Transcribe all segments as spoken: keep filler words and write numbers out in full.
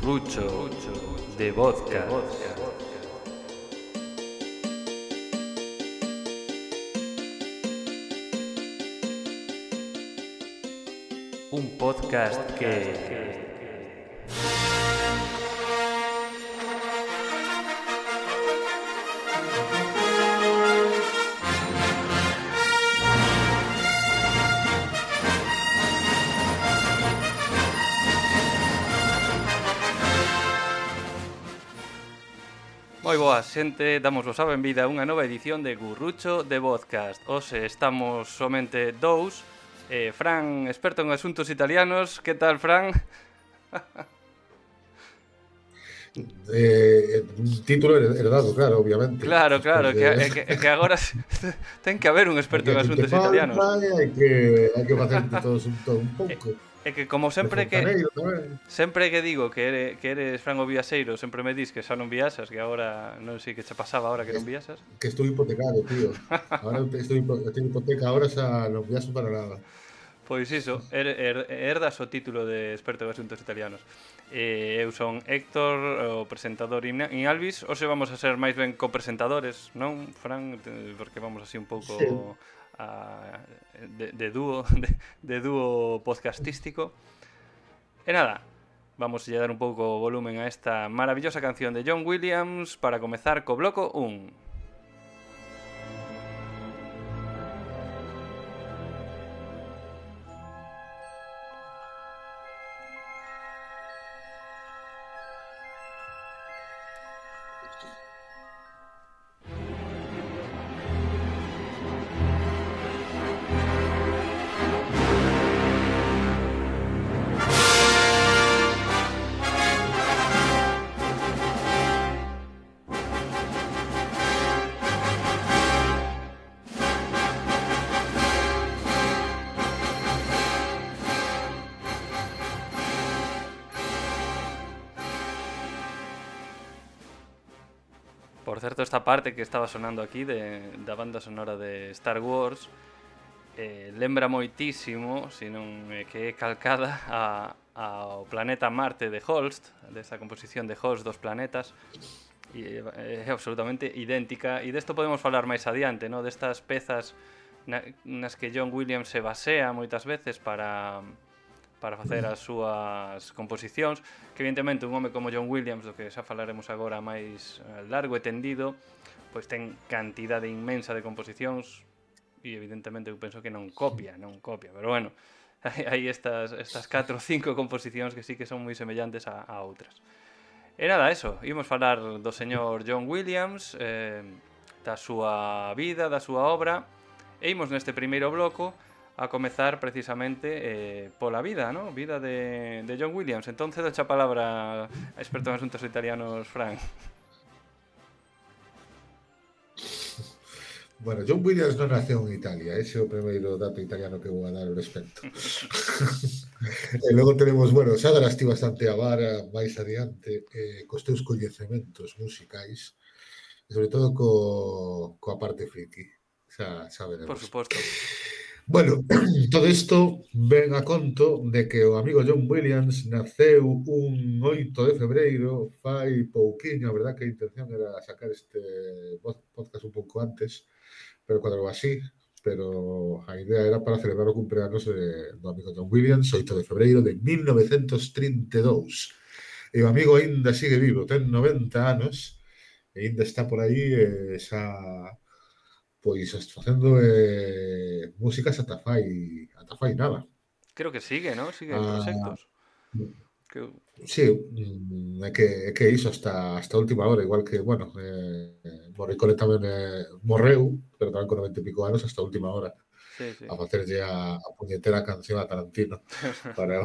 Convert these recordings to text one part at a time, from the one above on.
Currucho de vodka. Un podcast que... Moi boa xente, damosvos a benvida a unha nova edición de Currucho de Podcast. Hoxe estamos somente dous. eh, Fran, experto en asuntos italianos. Que tal, Fran? Eh, un título heredado, claro, obviamente. Claro, claro, de... que, é que, é que agora ten que haber un experto en asuntos italianos. Hai que, hai que facerte todos un, todo un pouco. É que como sempre que sempre que digo que, ere, que eres Fran o viaxeiro, sempre me dis que xa non viaxas, que agora non sei que che pasaba agora que non viaxas. Que estou hipotecado, tío. Agora estou tenho hipoteca, agora xa non viaxo para nada. Pois iso, er, er, herdas o título de experto en asuntos italianos. Eh, eu son Héctor, o presentador in, in Alvis. Hoxe vamos a ser máis ben copresentadores, non, Fran? Porque vamos así un pouco sí. a, de, de dúo de, de dúo podcastístico. E nada, vamos a dar un pouco volumen a esta maravillosa canción de John Williams para comezar co bloco un. Por certo, esta parte que estaba sonando aquí de, da banda sonora de Star Wars eh, lembra moitísimo, se non é que é calcada a, ao planeta Marte de Holst, desa composición de Holst dos planetas, e é absolutamente idéntica, e desto podemos falar máis adiante, no? Destas pezas na, nas que John Williams se basea moitas veces para... para facer as súas composicións, que evidentemente un home como John Williams, do que xa falaremos agora máis largo e tendido, pois ten cantidade inmensa de composicións e evidentemente eu penso que non copia, non copia, pero bueno, hai estas, estas catro ou cinco composicións que sí que son moi semellantes a, a outras. E nada, eso, imos falar do señor John Williams, eh, da súa vida, da súa obra, e imos neste primeiro bloco a comezar precisamente eh, pola vida, ¿no? Vida de, de John Williams. Entonces, doche a palabra a experto en asuntos italianos, Fran. Bueno, John Williams non naceu en Italia, ese é o primeiro dato italiano que vou a dar ao respecto. E logo tenemos, bueno, xa darás ti bastante a vara máis adiante eh, cos teus coñecementos musicais, e sobre todo co, coa parte friki. Xa, xa veremos. Por suposto. Bueno, todo isto ven a conto de que o amigo John Williams naceu un oito de febreiro, fai pouquiño, a verdad que a intención era sacar este podcast un pouco antes, pero cuadrou así, pero a idea era para celebrar o cumpleanos de, do amigo John Williams, oito de febreiro de mil novecentos trinta e dous. E o amigo aínda sigue vivo, ten noventa anos, e aínda está por aí, e xa... pois facendo eh, músicas ata fai, ata fai nada. Creo que sigue, ¿no? Sigue en ah, proxectos. Que... Sí, é que, é que iso hasta, hasta a última hora, igual que, bueno, eh, Morricone tamén eh, morreu, pero tamén con noventa e pico anos hasta a última hora, sí, sí. a facerlle a, a puñetera canción a Tarantino. Para...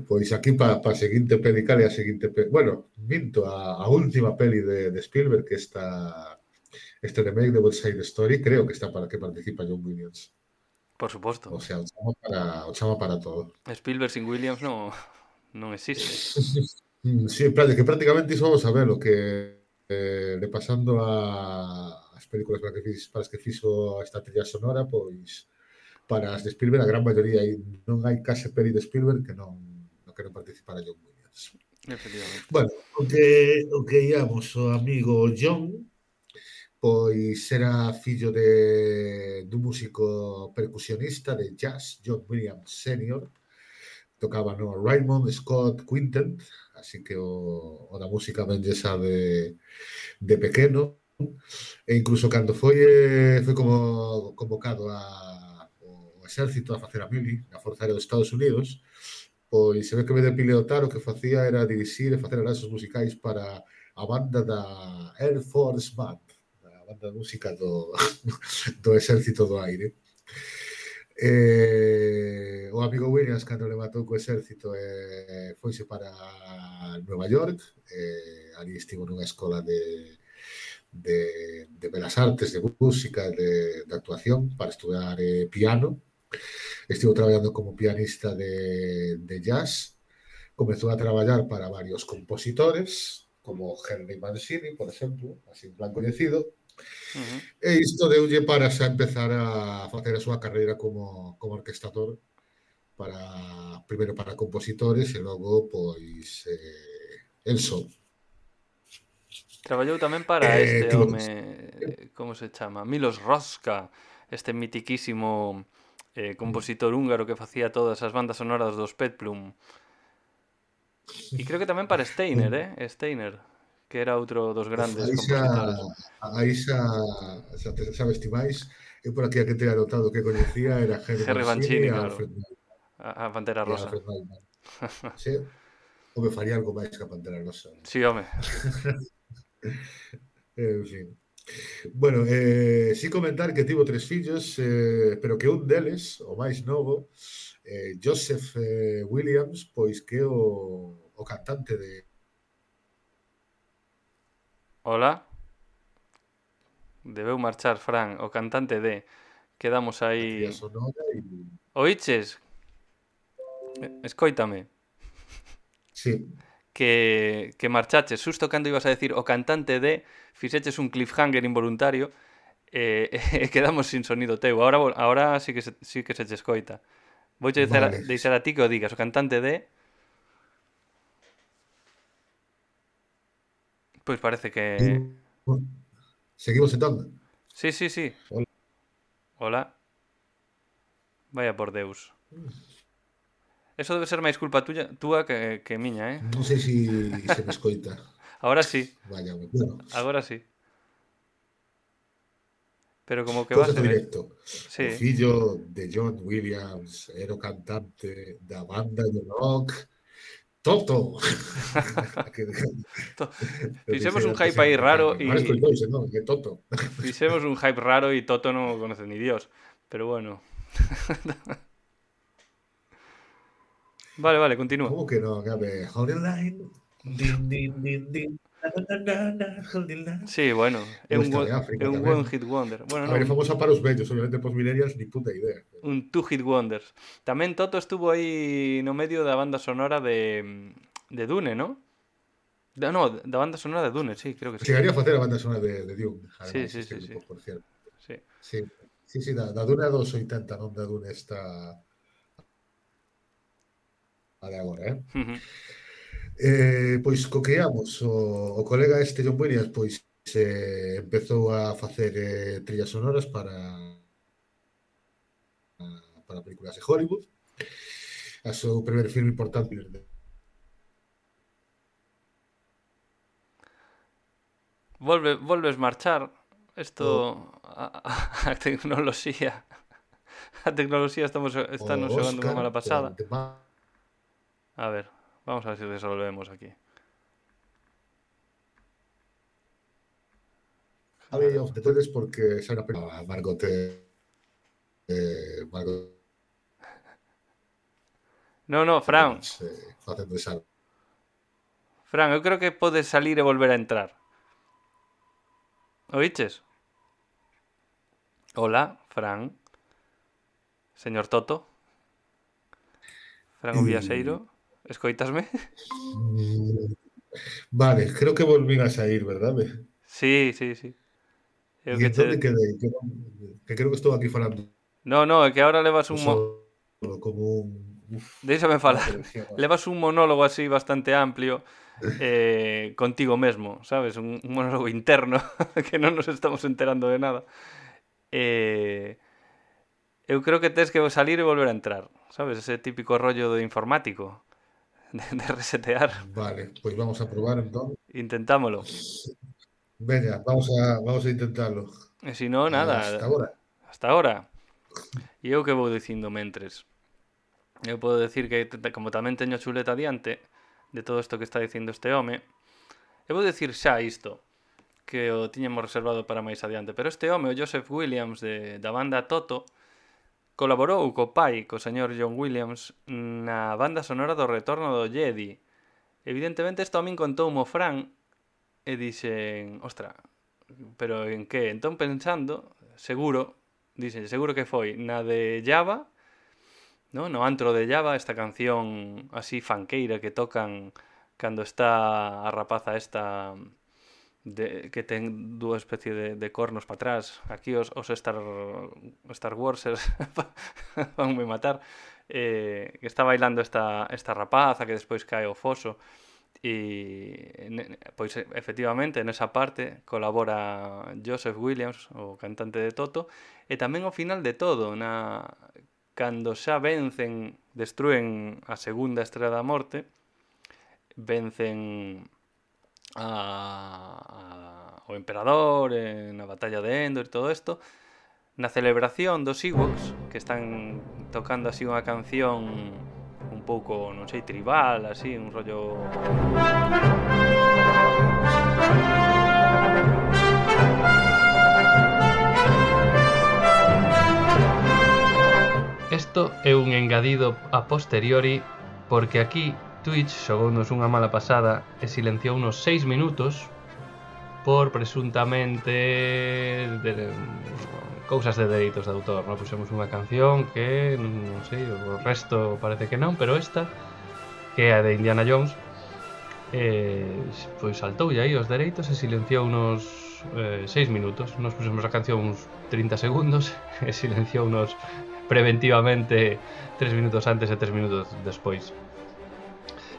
Pois aquí para pa a seguinte peli, cale a seguinte peli... Bueno, minto, a, a última peli de, de Spielberg, que está... Este remake de West Side Story, creo que está para que participa John Williams. Por suposto. O sea, o chama para, o chama para todo. Spielberg sin Williams no, non existe. Sí, que prácticamente iso vamos a ver lo que eh, le pasando a as películas para, que fix, para as que fixo esta trilha sonora, pois para as de Spielberg a gran maioría non hai case peli de Spielberg que non que non participara John Williams. Efectivamente. Bueno, o que, o que íamos o amigo John, pois era fillo de dun músico percusionista de jazz, John Williams senior, tocaba no Raymond Scott Quintet, así que o, o da música ben lle sabe de pequeno, e incluso cando foi, foi como convocado a, o exército a facer a mili na Forza Aérea dos Estados Unidos, pois se ve que ve de pilotar o que facía era dirixir e facer arranxos musicais para a banda da Air Force Band, a banda de música do, do exército do aire. Eh, o amigo Williams, cando le matou co exército, eh, foise para Nueva York, eh, ali estivo nunha escola de, de, de belas artes, de música, de, de actuación, para estudar eh, piano. Estivo traballando como pianista de, de jazz. Comezou a traballar para varios compositores, como Henry Mancini, por exemplo, así en plan coñecido. Uh-huh. E isto deulle para xa empezar a facer a súa carreira como, como orquestador, para primeiro para compositores e logo, pois, eh, el só. Traballou tamén para Eh, este tivo- home, como se chama? Milos Roska, este mitiquísimo eh, compositor húngaro que facía todas as bandas sonoras dos Peplum. E creo que tamén para Steiner, eh? Steiner, que era outro dos grandes Aí xa, compositores. aí xa, xa te sabes ti máis. Eu por aquí a que te anotado que coñecía era Henry Henry Mancini Mancini, e claro. Alfred Newman. A, a Pantera E Rosa. Alfred Newman. Sí, ou me faría algo máis que a Pantera Rosa. Sí, home. En fin. Bueno, eh, sí comentar que tivo tres fillos, eh, pero que un deles, o máis novo, eh, Joseph eh, Williams, pois que o, o cantante de Hola. Debeu marchar, Fran, o cantante de... Quedamos a tría aí... sonora e... Oiches? Escoítame. Sí, Que, que marchaches xusto cando ibas a decir o cantante de, fixeches un cliffhanger involuntario e eh, quedamos sin sonido teu. Ahora, ahora sí que se, sí que se che escoita. Vou che vale. deixar a ti que o digas. O cantante de... Pois parece que... Seguimos entón. Sí, sí, sí. Hola. Hola. Vaya por Deus. Eso debe ser máis culpa tuya, túa que, que miña, eh? Non sei se se me escoita. Ahora sí. Vaya, bueno. Agora sí. Pero como que Cousas vas do a ver. directo. Sí. O fillo de John Williams era o cantante da banda de rock Toto. To- Fixemos un hype aí raro e... e... Ahora escoitouse, non? Que Toto. Fixemos un hype raro e Toto non o conoce ni Dios. Pero bueno. Vale, vale, continúa. Como que non? A ver, hold the line. Din, din, din, din. Na, na, na, na, hold the line. Sí, bueno, é Ou un, esta one, de África é un tamén. one hit wonder. Bueno, A ver, é non, famosa para os vellos, obviamente pos millennials ni puta idea. un two hit wonders. Tamén Toto estuvo aí no medio da banda sonora de de Dune, ¿no? Da, no, da banda sonora de Dune, sí, creo que sí. Chegaría a facer a banda sonora de, de Dune, Sí, ademais, sí, este sí, grupo, sí. por cierto. Sí. Sí, sí, sí, da, da Dune dos oitenta, non da Dune esta a de agora, eh? Uh-huh. Eh, pois co que íamos, o, o colega este John Williams, pois eh, empezou a facer eh, trillas sonoras para para películas de Hollywood. A seu primer filme importante de... Volve, volves marchar. Isto a, a, a tecnoloxía. A tecnoloxía estamos está nos xogando unha mala pasada. A ver, vamos a ver se resolvemos aquí. A ver, of the Todes porque xa era pena Margot eh, Margot No, no, Fran. Eh, facendo esa... Fran, eu creo que podes salir e volver a entrar. Oiches? Hola, Fran. Señor Toto. Fran o Viaseiro. Escoitasme? Vale, creo que volvín a sair, verdad? Sí, sí, sí. Eu e entón che... quedei? Que, que creo que estou aquí falando. No, no, é que ahora levas un... Mo... Como un uf, Déixame unha falar. colección. Levas un monólogo así bastante amplio eh, contigo mesmo, sabes? Un, un monólogo interno que non nos estamos enterando de nada. Eh, eu creo que tes que salir e volver a entrar, sabes? Ese típico rollo de informático, de, de resetear. Vale, pois vamos a probar entón. Intentámolo. Veña, vamos a, vamos a intentalo. E se non, nada. Hasta ahora. Hasta ahora. E eu que vou dicindo mentres. Eu podo decir que, como tamén teño a chuleta diante de todo isto que está dicindo este home, eu vou decir xa isto, que o tiñamos reservado para máis adiante, pero este home, o Joseph Williams de, da banda Toto, colaborou co pai, co señor John Williams, na banda sonora do Retorno do Jedi. Evidentemente, isto a min contou mo Fran e dixen, ostra, pero en que? Entón pensando, seguro, dixen, seguro que foi na de Java, no, no antro de Java, esta canción así fanqueira que tocan cando está a rapaza esta de, que ten dúa especie de, de cornos para atrás. Aquí os, os Star, Star Warsers vanme matar. Eh, que está bailando esta, esta rapaza que despois cae ao foso. E pois efectivamente nesa parte colabora Joseph Williams, o cantante de Toto, e tamén ao final de todo, na cando xa vencen, destruen a segunda Estrela da Morte, vencen a, a, o emperador eh, na batalla de Endor e todo isto, na celebración dos Ewoks, que están tocando así unha canción un pouco, non sei, tribal, así, un rollo... Isto é un engadido a posteriori porque aquí Twitch xogounos unha mala pasada e silenciou unos seis minutos por presuntamente de, cousas de dereitos de autor, non? Pusemos unha canción que non sei, o resto parece que non, pero esta que é a de Indiana Jones eh, pois saltoulle aí os dereitos e silenciou unos eh, seis minutos. Nos pusemos a canción uns trinta segundos e silenciou unos preventivamente tres minutos antes e tres minutos despois.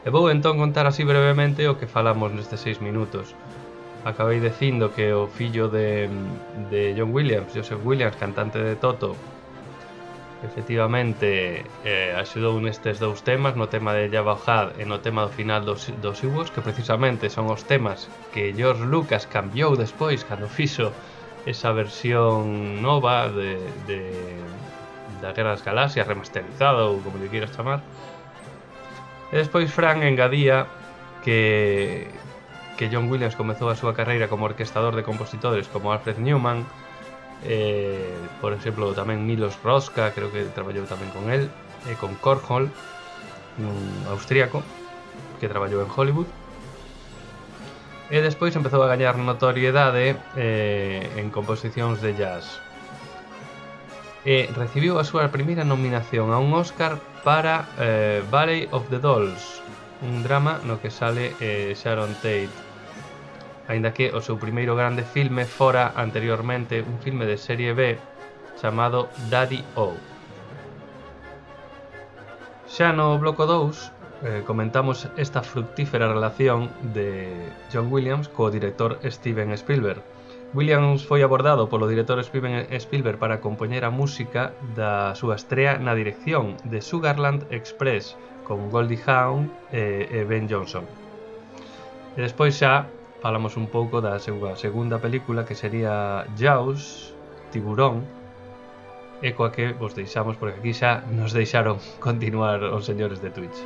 E vou entón contar así brevemente o que falamos nestes seis minutos. Acabei dicindo que o fillo de, de John Williams, Joseph Williams, cantante de Toto, efectivamente eh, axudou nestes dous temas, no tema de Jabba the Hutt e no tema do final dos, dos Ewoks, que precisamente son os temas que George Lucas cambiou despois cando fixo esa versión nova de, de da Guerra das Galaxias, remasterizada ou como lle queiras chamar. E despois Fran engadía que que John Williams comezou a súa carreira como orquestador de compositores como Alfred Newman, eh, por exemplo tamén Milos Roska, creo que traballou tamén con él, e con Kurt Hall, un austríaco que traballou en Hollywood. E despois empezou a gañar notoriedade eh, en composicións de jazz. E recibiu a súa primeira nominación a un Oscar para eh, Valley of the Dolls, un drama no que sale eh, Sharon Tate, aínda que o seu primeiro grande filme fora anteriormente un filme de serie B chamado Daddy O. Xa no bloco dous eh, comentamos esta fructífera relación de John Williams co director Steven Spielberg. Williams foi abordado polo director Steven Spielberg para compoñer a música da súa estrea na dirección de Sugarland Express con Goldie Hawn e, e Ben Johnson. E despois xa falamos un pouco da súa segunda película, que sería Jaws, Tiburón, e coa que vos deixamos porque aquí xa nos deixaron continuar os señores de Twitch.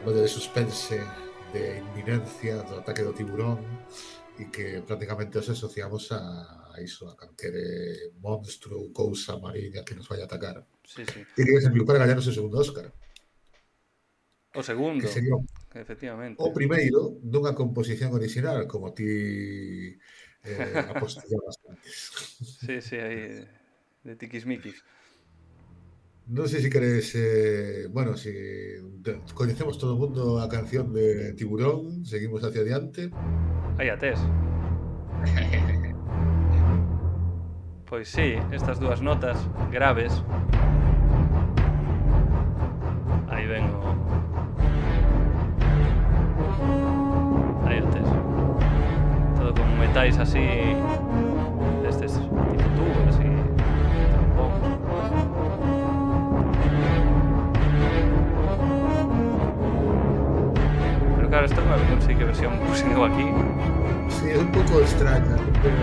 Lo de suspense, de inminencia do ataque do tiburón, e que prácticamente os asociamos a, a iso, a calquere monstro ou cousa mariña que nos vai a atacar. Sí, sí. E que serviu para gañar o seu segundo Óscar. O segundo, que sería efectivamente. O primeiro dunha composición original, como ti eh, apostillabas antes. Sí, sí, aí de tiquismiquis. Non sei se queres, eh, bueno, si coñecemos todo o mundo a canción de Tiburón, seguimos hacia adiante. Aí a tes. Pois sí, estas dúas notas graves. Aí ven o... Aí o tes. Todo con metais así... Destes tipo tubos, así... Tampóns. Pero claro, esta non sei que versión pusen eu aquí. Sí, es un pouco extraña, pero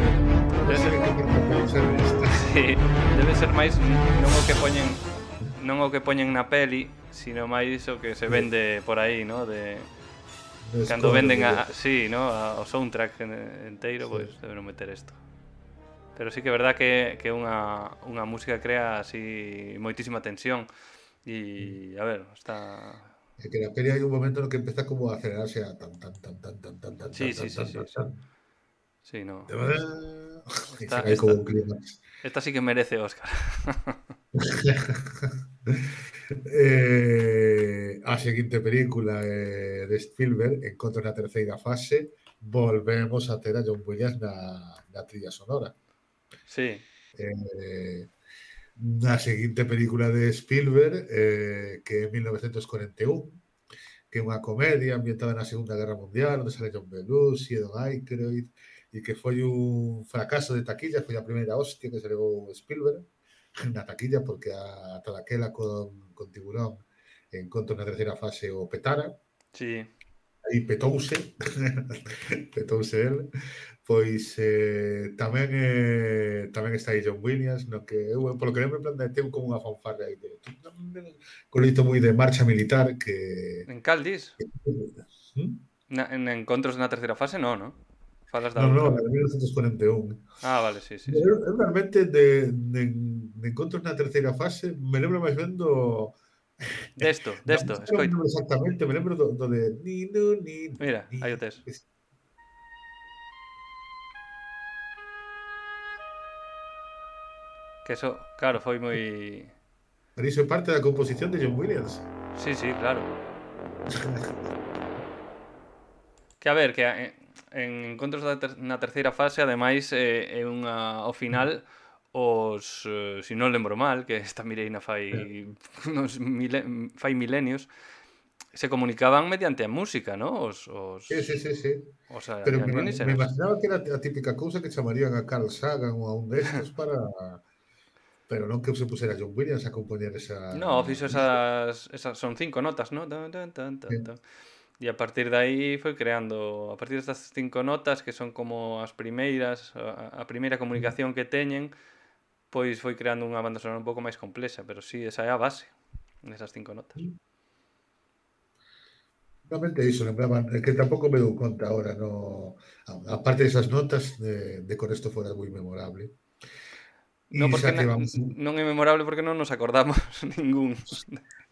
non sei que por que pensar esta. Sí, debe ser máis non o que poñen non o que poñen na peli, sino máis o que se vende por aí, ¿no? De No cando escondo, venden a, pero- sí, ¿no? A, o soundtrack en- enteiro, Sí. pois pues, deben meter isto. Pero sí que é verdad que que unha unha música crea así moitísima tensión e a ver, está É que na peli hai un momento no que empeza como a acelerarse a tan tan tan tan tan tan tan Sí, tan sí, tan sí, tan sí, tan sí. tan. Sí, no. E Esta chega aí como esta un clímax. esta sí que merece Óscar. eh, a seguinte película eh, de Spielberg, Encontro na terceira fase, volvemos a ter a John Williams na, na trilla sonora. Sí. Eh, na seguinte película de Spielberg, eh, que é mil novecientos cuarenta e un, que é unha comedia ambientada na Segunda Guerra Mundial, onde sale John Belushi e Don Aykroyd, e que foi un fracaso de taquilla, foi a primeira hostia que se levou Spielberg na taquilla, porque a, ata daquela con, con Tiburón Encontro na terceira fase o petara, Sí. aí petouse, petouse el, pois eh, tamén eh, tamén está aí John Williams, no que eu, polo que lembro, en plan, de- ten como unha fanfarra aí de con lito moi de marcha militar que... En cal dis? ¿Mm? Na, en Encontros na terceira fase, no, no? Falas da No, no, outra. la de mil novecientos cuarenta e un. Ah, vale, sí, sí, sí. Eu, eu realmente de, de, de Encontros na terceira fase me lembro máis ben do... Desto, Da desto, música non me escoita. lembro exactamente, me lembro do, do de ni, nu, ni, ni, Mira, ni. aí o tes. Es- Que eso, claro, foi moi... Pero iso é parte da composición de John Williams. Sí, sí, claro. Que a ver, que a- en, en Encontros da ter, na terceira fase, ademais, eh, é unha, ao final, os, eh, si non lembro mal, que esta Mireina fai unos mile, fai milenios, se comunicaban mediante a música, ¿no? Os, os, Sí, sí, sí, sí. os Pero me, me alienígenas. imaginaba que era a típica cousa que chamarían a Carl Sagan ou a un destes para... Pero non que se pusera John Williams a compoñer esa... No, fixo esas, esas son cinco notas, ¿no? Tan, tan, tan, tan, tan. E a partir de aí foi creando, a partir destas cinco notas que son como as primeiras, a, a primeira comunicación que teñen, pois foi creando unha banda sonora un pouco máis complexa, pero sí, esa é a base desas cinco notas. Realmente iso, lembraban, é que tampouco me dou conta ahora, no, a, a parte desas notas de, de con esto fora moi memorable. No, E porque xa na, que vamos... non é memorable porque non nos acordamos ningún.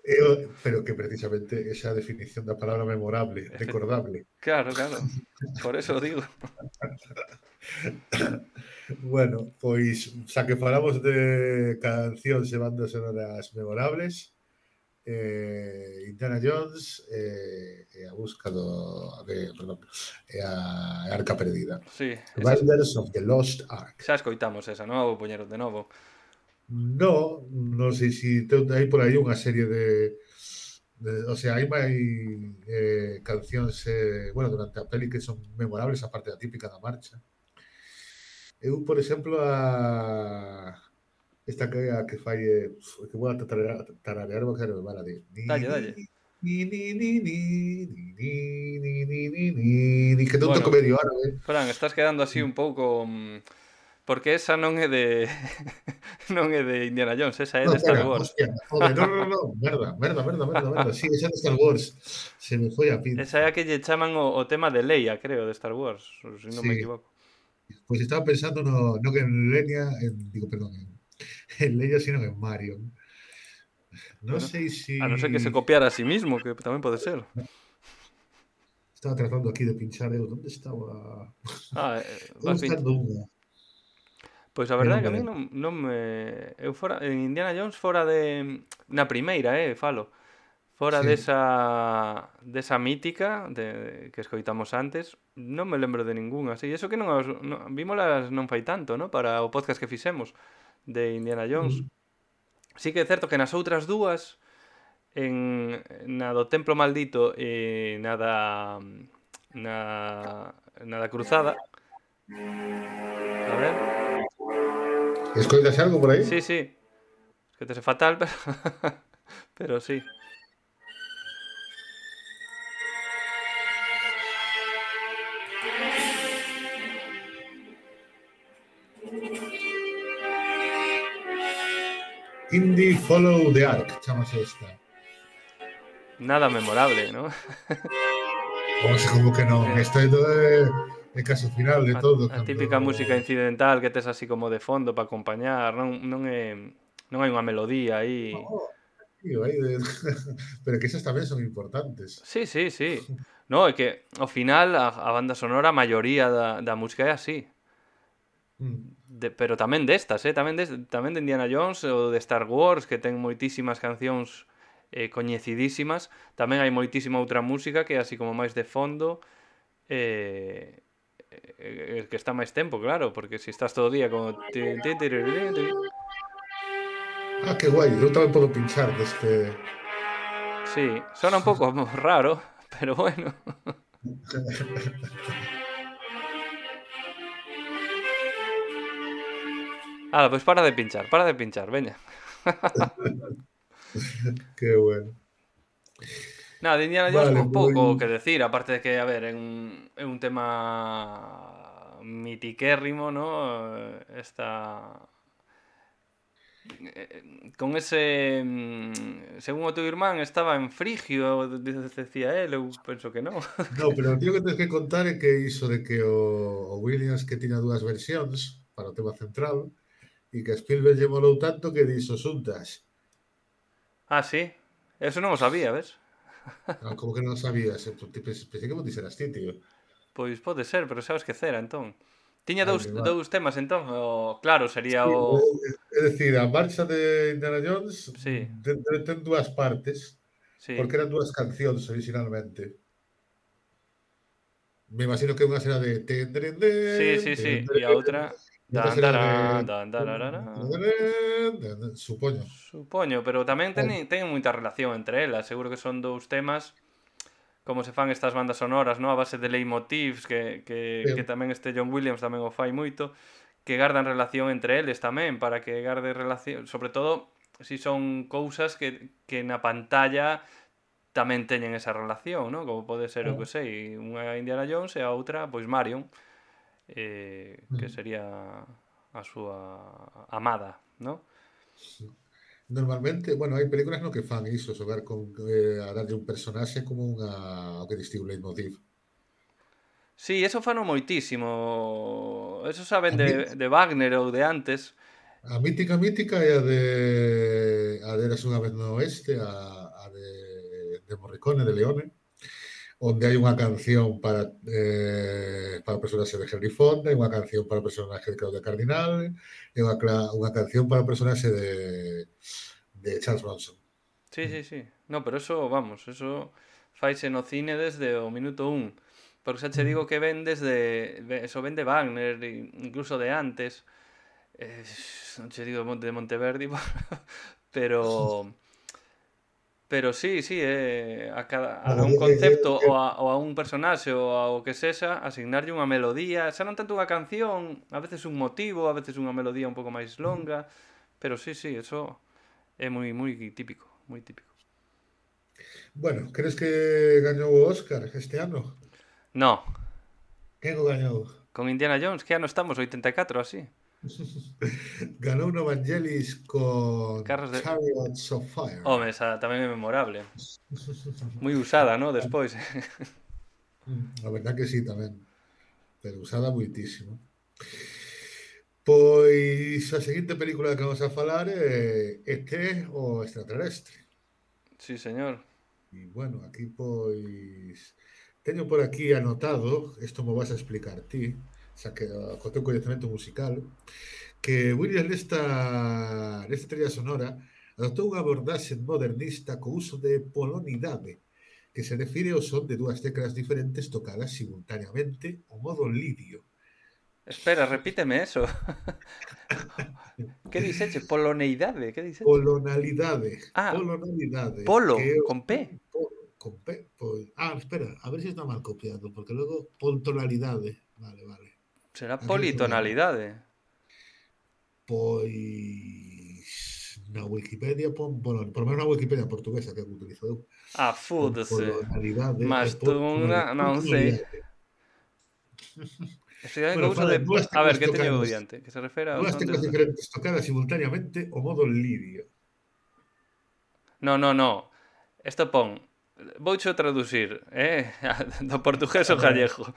Eu, pero que precisamente esa definición da palabra memorable, recordable. Claro, claro. Por eso o digo. Bueno, pois xa que falamos de cancións e bandas sonoras memorables, eh, Indiana Jones eh, e a busca do de, perdón, e a Arca Perdida. Sí, esas, Riders of the Lost Ark. xa escoitamos esa, non? Vou poñer de novo. No, non sei se te, hai por aí unha serie de, de o sea, hai máis eh, cancións eh, bueno, durante a peli que son memorables a parte da típica da marcha. Eu, por exemplo, a esta que a que fai eh, que vou a tararear, tararear porque non me mala de Dalle, dalle. ni ni ni ni ni ni ni ni ni ni ni que non toco Bueno, medio árabe. Fran, estás quedando así un pouco... mm, Porque esa non é de non é de Indiana Jones, esa é No, de Star espera, Wars. hostia, joder, no, no, no, merda, merda, merda, merda, merda. Sí, esa de Star Wars. Se me foi a Esa é pinza. a que lle chaman o, o tema de Leia, creo, de Star Wars, se non me Sí, equivoco. pois estaba pensando no, non en Lenia, en, digo, perdón, en, en Leia, sino en Marion. Non Bueno, sei si... a non ser que se copiara a sí mismo, que tamén pode ser. Estaba tratando aquí de pinchar eu. Onde estaba? Ah, eh, Estou vas pin... buscando unha. Pois a Que verdade non é que a me mí lembro. non, non me... Eu fora, en Indiana Jones fora de... Na primeira, eh, falo. Fora Sí. desa, desa mítica de, que escoitamos antes, non me lembro de ningunha así. Eso que non, as, non vímolas non fai tanto, ¿no? Para o podcast que fixemos de Indiana Jones. Mm. Sí que é certo que nas outras dúas, en na do Templo Maldito e na da na, na da Cruzada, a ver, ¿Escoitas algo por aí? sí, sí, que te sé fatal, pero, pero sí. Indie Follow the Ark, chamase esta. Nada memorable, ¿no? O sea, como que non, Eh, esta é do é, é caso final de a, todo, a cando... típica música incidental que tes así como de fondo para acompañar, non, non é non hai unha melodía aí. Oh, tío, aí de... Pero que esas tamén son importantes. Sí, sí, sí. No, é que ao final a, a banda sonora, a maioría da, da música é así. Mm. De, pero tamén destas, eh? tamén, de, tamén de Indiana Jones ou de Star Wars, que ten moitísimas cancións eh, coñecidísimas. Tamén hai moitísima outra música que é así como máis de fondo, eh, eh, que está máis tempo, claro, porque se estás todo o día con... Ah, que guai, eu tamén podo pinchar deste... Sí, sona un pouco raro, pero bueno. Ah, pois para de pinchar, para de pinchar, veña. Que bueno. Nada, de Indiana Jones Vale, po- pouco que pois... decir, aparte de que, a ver, é un, é un tema mitiquérrimo, ¿no? Esta... eh, con ese... mm, según o teu irmán, estaba en Frigio, de- decía él, eu penso que non. No, pero o tío que tens que contar é que iso de que o, o Williams que tiña dúas versións para o tema central e que a Spielberg lle molou tanto que dixo xuntas. Ah, sí? Eso non o sabía, ves? Ah, como que non sabías? Pensei que vos dixeras ti, tío. Pois pode ser, pero xa o esquecera, entón. Tiña Ai, dous, mi madre. dous temas, entón. O, claro, sería Sí, o... é dicir, a marcha de Indiana Jones Sí, ten, ten dúas partes, sí. porque eran dúas cancións originalmente. Me imagino que unha será de ten, dren, Sí, den, sí, ten, sí. E a dren, outra... e outra Dan, será de darán, dan, dararara. supoño. Supoño, pero tamén Oh, teñen, teñen moita relación entre elas. Seguro que son dous temas como se fan estas bandas sonoras, ¿no? A base de leitmotivs que, que, que eh, tamén este John Williams tamén o fai moito, que gardan relación entre eles tamén, para que garde relación, sobre todo si son cousas que, que na pantalla tamén teñen esa relación, ¿no? Como pode ser, eu que oh, sei, unha Indiana Jones e a outra, pois Marion, eh, que mm. sería a súa amada, ¿no? Normalmente, bueno, hai películas no que fan iso, xogar con eh, a darlle un personaxe como unha o que distingue un leitmotiv. Sí, eso fano moitísimo. Eso saben A, mí, de, de Wagner ou de antes. a mítica mítica é a de a de Eras unha vez no oeste, a, a de, de Morricone, de Leone, onde hai unha canción para eh, para o personaxe de Henry Fonda, e unha canción para o personaxe de Claudia Cardinal, e unha, unha canción para o personaxe de, de Charles Bronson. Sí, sí, sí. No, pero eso, vamos, eso faise no cine desde o minuto un. Porque xa che digo que ven desde... Eso ven de Wagner, incluso de antes. Eh, non che digo de Monteverdi, pero... Pero sí, sí, eh, a, cada, a un concepto ou a, ou a un personaxe ou ao que sexa, asignarlle unha melodía, xa non tanto unha canción, a veces un motivo, a veces unha melodía un pouco máis longa, pero sí, sí, eso é moi moi típico, moi típico. Bueno, crees que gañou o Óscar este ano? No, Quen o gañou? con Indiana Jones, que ano estamos? oitenta e catro, así. Ganou no Vangelis con Carros de... Chariots of Fire. Home, esa tamén é memorable. Moi usada, ¿no? Despois. A verdad que sí, tamén. Pero usada muitísimo. Pois a seguinte película que vamos a falar é E T o extraterrestre. Sí, señor. E bueno, aquí pois teño por aquí anotado, isto me vas a explicar ti, xa que co teu coñecemento musical, que Williams nesta, nesta trilha sonora adoptou unha abordaxe modernista co uso de polonidade, que se refire ao son de dúas teclas diferentes tocadas simultaneamente ao modo lidio. Espera, repíteme eso. Que dixeche? Poloneidade, que dixeche? Polonalidade. Ah, polonalidade. polo, que con P. Con P, pois... Ah, espera, a ver se si está mal copiado, porque logo poltonalidade. Vale, vale. Será politonalidade. Pois... Na Wikipedia pon polon... Por menos na Wikipedia portuguesa que utilizo eu. Ah, fúdese. Polonalidade. Mas tú non sei. Estudiar bueno, uso de... A ver, que teño diante? Que se refere ao dúas son teclas de... diferentes tocadas simultaneamente o modo lidio. No, no, no. Esto pon... Voucho traducir, eh? Do portugués ao gallego.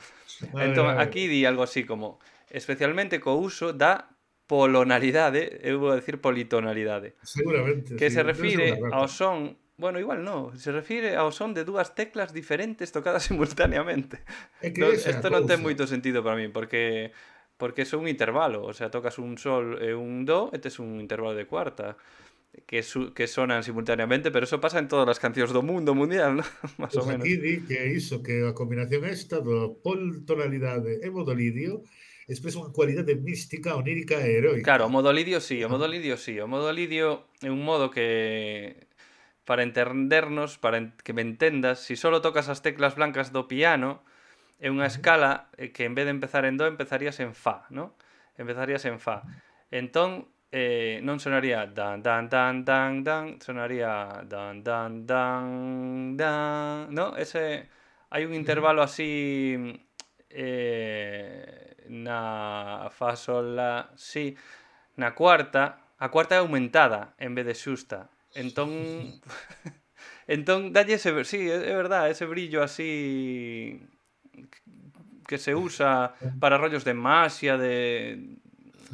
Entón, aquí di algo así como especialmente co uso da polonalidade, eu vou decir politonalidade. Seguramente. Que sí, se refire ao son... Bueno, igual no, se refire ao son de dúas teclas diferentes tocadas simultaneamente. É que no, esa esto non ten moito sentido para mí, porque porque é un intervalo, o sea, tocas un sol e un do e tes un intervalo de cuarta que, su, que sonan simultaneamente, pero eso pasa en todas as cancións do mundo mundial, ¿no? Más pues ou menos. Aquí di que iso, que a combinación esta do poltonalidade e modo lidio expresa unha cualidade mística, onírica e heroica. Claro, o modo lidio sí, o modo lidio sí, o modo lidio é un modo que... para entendernos, para que me entendas, si solo tocas as teclas blancas do piano, é unha escala que en vez de empezar en do, empezarías en fa, ¿no? Empezarías en fa. Entón, eh, non sonaría dan, dan, dan, dan, dan, sonaría dan, dan, dan, dan, ¿no? Ese, hai un intervalo así eh, na fa, sol, la, si, na cuarta, a cuarta é aumentada en vez de xusta. Entón, entón dalle ese, sí, é verdad, ese brillo así que se usa para rollos de magia, de,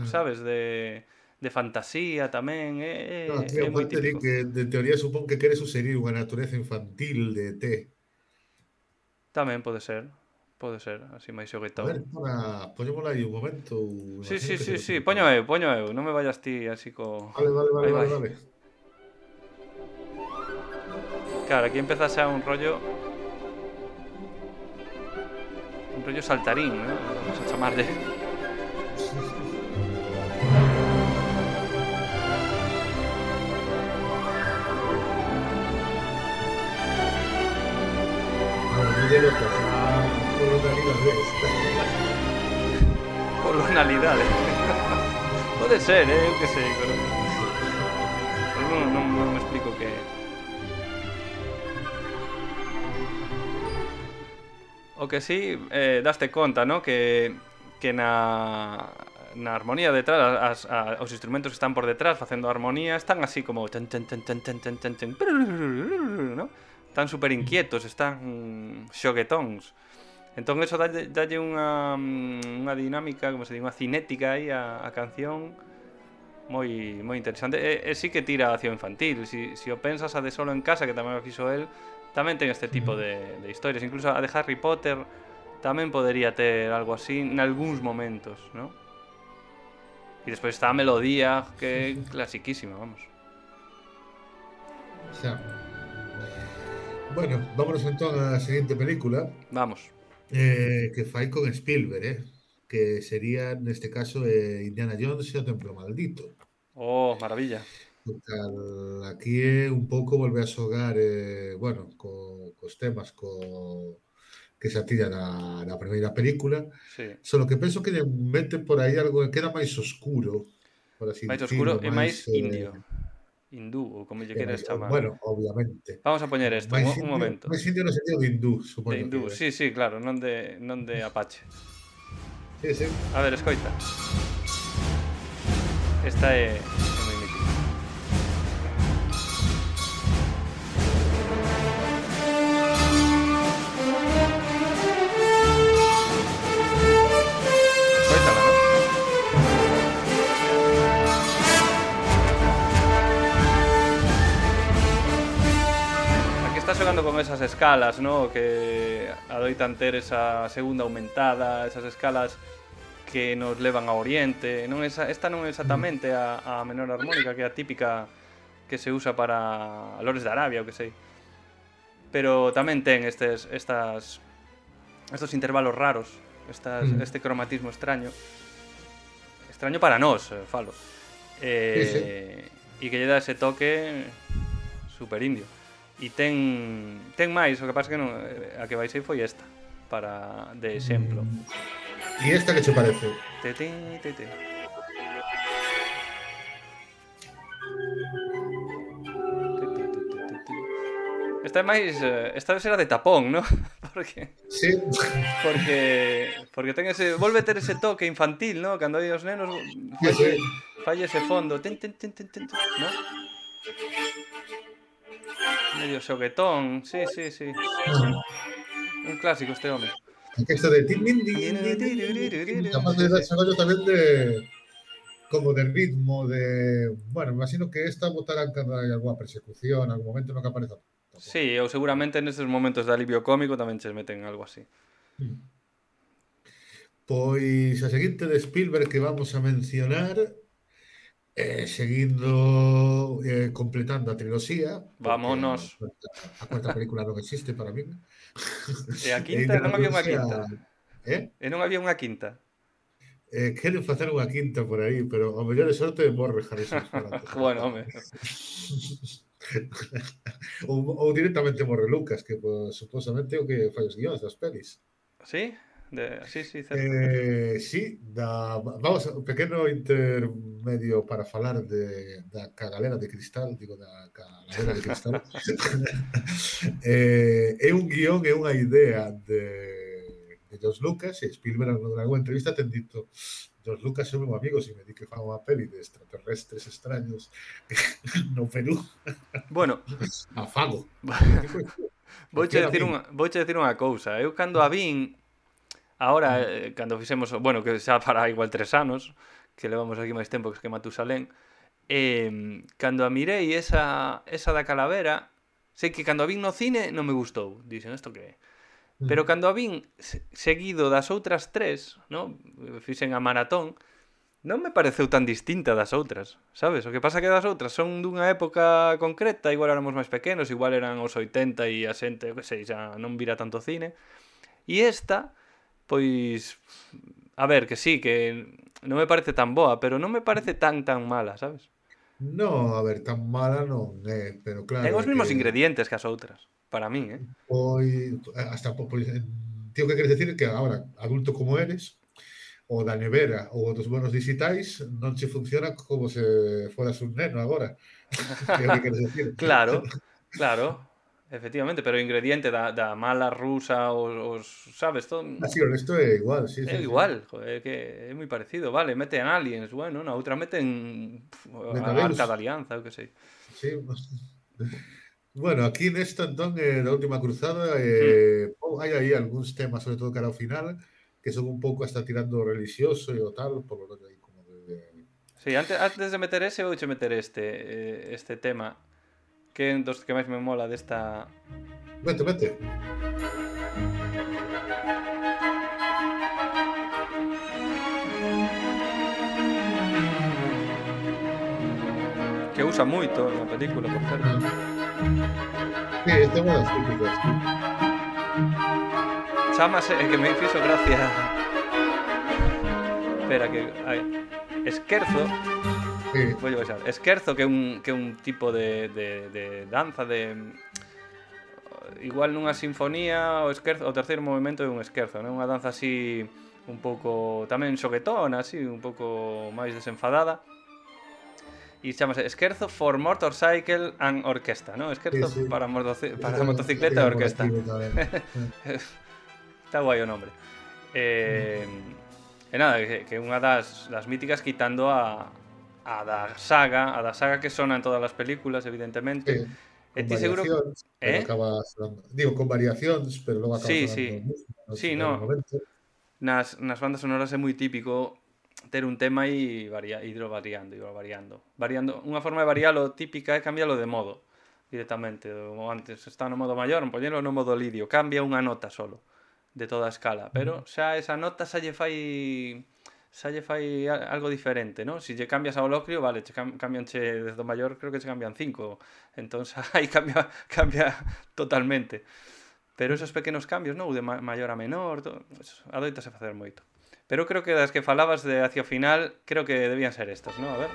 sabes, de, de fantasía tamén, é, no, tío, é moi típico. Que de teoría supón que quere sugerir unha natureza infantil de E T. Tamén pode ser, pode ser, así máis xoguetón. A ver, para, poñémola aí un momento. Sí, sí, sí, sí, poño eu, poño eu, non me vayas ti así co... Vale, vale, vale, vale, vale. Claro, aquí empezas a un rollo... Un rollo saltarín, ¿no? Vamos a chamarlle. Polonalidade. Pode ser, eh? Eu que sei, pero... Non, non, non me explico que... O que sí, eh, daste conta, ¿no? Que, que na, na armonía detrás, as, a, os instrumentos que están por detrás facendo a armonía están así como... Tan, tan, tan, tan, tan, tan, tan, tan, ¿no? Están super inquietos, están xoguetóns. Entón eso dalle, dalle unha, unha dinámica, como se di, unha cinética aí a, a canción moi moi interesante. E, e sí que tira hacia o infantil. Si, si o pensas a de Solo en Casa, que tamén o fixo el, tamén ten este tipo de, de historias. Incluso a de Harry Potter tamén podería ter algo así en algúns momentos, ¿no? E despois está a melodía, que é clasiquísima, vamos. Xa. Bueno, vámonos entón á seguinte película. Vamos. Eh, que fai con Spielberg, eh? Que sería, neste caso, eh, Indiana Jones e o Templo Maldito. Oh, maravilla. Total, aquí é un pouco volver a xogar, eh, bueno, co, cos temas co, que se atilla na, na primeira película, sí. Solo que penso que mete por aí algo que queda máis oscuro, por así máis dicirlo, oscuro e máis eh, indio. Hindú, ou como lle queres chamar. Bueno, obviamente. Vamos a poñer isto, un, indio, un momento. Máis indio no sentido de hindú, supoño. De hindú, que sí, sí, claro, non de, non de Apache. Sí, sí. A ver, escoita. Esta é, é moi mítica. Escoítala, non? Aquí está xogando con esas escalas, ¿no? Que adoitan ter esa segunda aumentada, esas escalas que nos levan a Oriente, non esa, esta non é exactamente a, a menor armónica, que é a típica que se usa para Lores de Arabia, o que sei. Pero tamén ten estes, estas, estos intervalos raros, estas, Mm. este cromatismo extraño. Extraño para nós, eh, falo. Eh, Sí, sí. E que lle dá ese toque super indio. E ten, ten máis, o que pasa que non, a que baixei foi esta, para de exemplo. Mm. E esta que che parece? Te, te, te, te. Esta é máis... Esta vez era de tapón, ¿no? Porque... Sí. Porque... Porque ten ese... Volve ter ese toque infantil, ¿no? Cando hai os nenos... Sí, Falle, sí. falle ese fondo. Ten, ten, ten, ten, ten, ¿no? Medio xoguetón. Sí, sí, sí. Un clásico este home. Esto de tin, din, din, din, din, capaz de desarrollo tamén de como de ritmo, de... Bueno, me imagino que esta botarán cando hai alguna persecución, algún momento no que apareza. Sí, ou seguramente nestes momentos de alivio cómico tamén che meten algo así. Pois a seguinte de Spielberg que vamos a mencionar, eh, seguindo, eh, completando a triloxía, Vámonos. a cuarta, a cuarta película non existe para min. E a quinta, non había unha introduce a- quinta. Eh? E non había unha quinta. Eh, queren facer unha quinta por aí, pero ao mellor de sorte morre Harrison Ford antes. Bueno, home. ou, ou directamente morre Lucas, que pues, supostamente é o que fai os guións das pelis. Sí? De... Sí, sí, certo. Eh, sí, da, vamos, un pequeno intermedio para falar de, da cagalera de cristal, digo, da cagalera de cristal. eh, é un guión, é unha idea de, de George Lucas, e Spielberg en alguna entrevista ten dito George Lucas é meu amigo, se me di que fan unha peli de extraterrestres extraños no Perú. Bueno, afago. Vouche decir unha, vouche decir unha cousa. Eu cando a vin, agora, eh, cando fixemos, bueno, que xa para igual tres anos, que levamos aquí máis tempo que Matusalén, eh, cando a mirei esa, esa da calavera, sei que cando a vin no cine non me gustou. Dixen, isto que é? Pero cando a vin seguido das outras tres, no? Fixen a maratón, non me pareceu tan distinta das outras, sabes? O que pasa que das outras son dunha época concreta, igual éramos máis pequenos, igual eran os oitenta e a xente, que sei, xa non vira tanto cine. E esta, pois, a ver, que sí, que non me parece tan boa, pero non me parece tan tan mala, sabes? No, a ver, tan mala non é, pero claro... Ten os mesmos que... ingredientes que as outras, para min, eh? Pois, hasta, pois, tío, que queres decir que agora, adulto como eres, o da nevera ou dos bonos digitais non che funciona como se foras un neno agora. Que é o que queres decir. Claro, claro, efectivamente, pero o ingrediente da, da mala rusa, os, os sabes, todo... Así, o resto é igual, sí, É sí, igual, joder, que é moi parecido, vale, meten aliens, bueno, na outra meten pf, a Vengadeus. Arca da Alianza, eu que sei. Sí. Bueno, aquí nesta, entón, eh, da última cruzada, eh, mm. oh, hai aí algúns temas, sobre todo cara ao final, que son un pouco hasta tirando religioso e o tal, por lo aí como de... de... Sí, antes, antes de meter ese, vouche meter este, eh, este tema, que é un dos que máis me mola desta... Vete, vete. Que usa moito na película, por certo. Sí, este é unha das típicas. Chámase, que me fixo gracia. Espera, que... Ai. Esquerzo. Sí. Vou baixar. Esquerzo, que é un, que é un tipo de, de, de danza de... Igual nunha sinfonía, o esquerzo, o terceiro movimento é un esquerzo, non? Unha danza así un pouco tamén xoguetona, así, un pouco máis desenfadada. E chamase Esquerzo for Motorcycle and Orquesta, ¿no? Esquerzo sí, sí. para, motoci para sí, motocicleta e orquesta. Está guai o nombre. Eh, mm. E nada, que, que unha das, das míticas quitando a, a da saga, a da saga que sona en todas as películas, evidentemente. Sí. E ti seguro que... Eh? Acaba sonando, digo, con variacións, pero logo acaba sí, sonando sí. música, no sí, no. Nas, nas bandas sonoras é moi típico ter un tema e varia, ir variando, ir variando. Variando, unha forma de varialo típica é cambialo de modo directamente. O antes está no modo maior, poñelo no modo lidio, cambia unha nota solo de toda a escala, pero xa esa nota xa lle fai xa lle fai algo diferente, ¿no? Si lle cambias ao Locrio, vale, che cam cambianche desde o maior, creo que che cambian cinco. Entón, aí cambia, cambia totalmente. Pero esos pequenos cambios, ¿no? De ma maior a menor, todo, pues, adoitase facer moito. Pero creo que das que falabas de hacia o final, creo que debían ser estas, ¿no? A ver.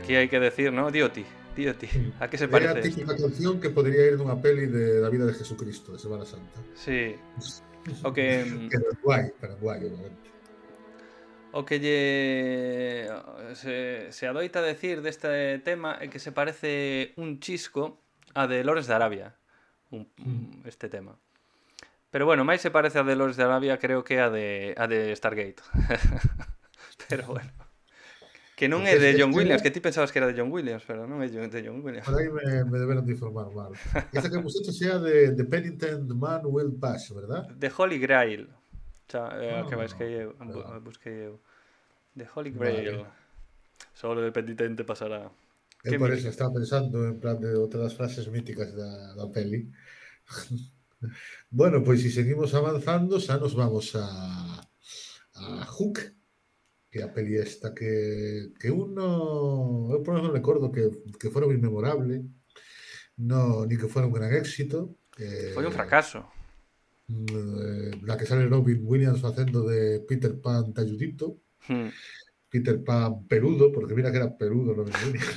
Aquí hai que decir, ¿no? Dioti, Dioti, a que se parece? É a típica canción que podría ir dunha peli de da vida de Jesucristo, de Semana Santa. Sí. O que... que non guai, pero guai, obviamente. O que lle... Se, se adoita decir deste tema é que se parece un chisco a de Lores de Arabia, un, mm. este tema. Pero bueno, máis se parece a de Lores de Arabia, creo que a de, a de Stargate. Pero bueno. Que non é de John Williams, que ti pensabas que era de John Williams, pero non é de John Williams. Por aí me, me deberon de informar mal. Esta que hemos hecho sea de The Penitent Man Will Pass, ¿verdad? De Holy Grail. Xa, é a que busquei eu. Busquei eu. De Holy Grail. Vale. Solo el penitente pasará. Eu por eso estaba pensando en plan de outras frases míticas da, da peli. Bueno, pois pues, se si seguimos avanzando, xa nos vamos a, a Hook, que a peli esta que, que uno, eu por non recordo que, que fora moi memorable, no, ni que fora un gran éxito. Eh, Foi un fracaso. Eh, la que sale Robin Williams facendo de Peter Pan talludito, hmm. Peter Pan peludo, porque mira que era peludo Robin Williams.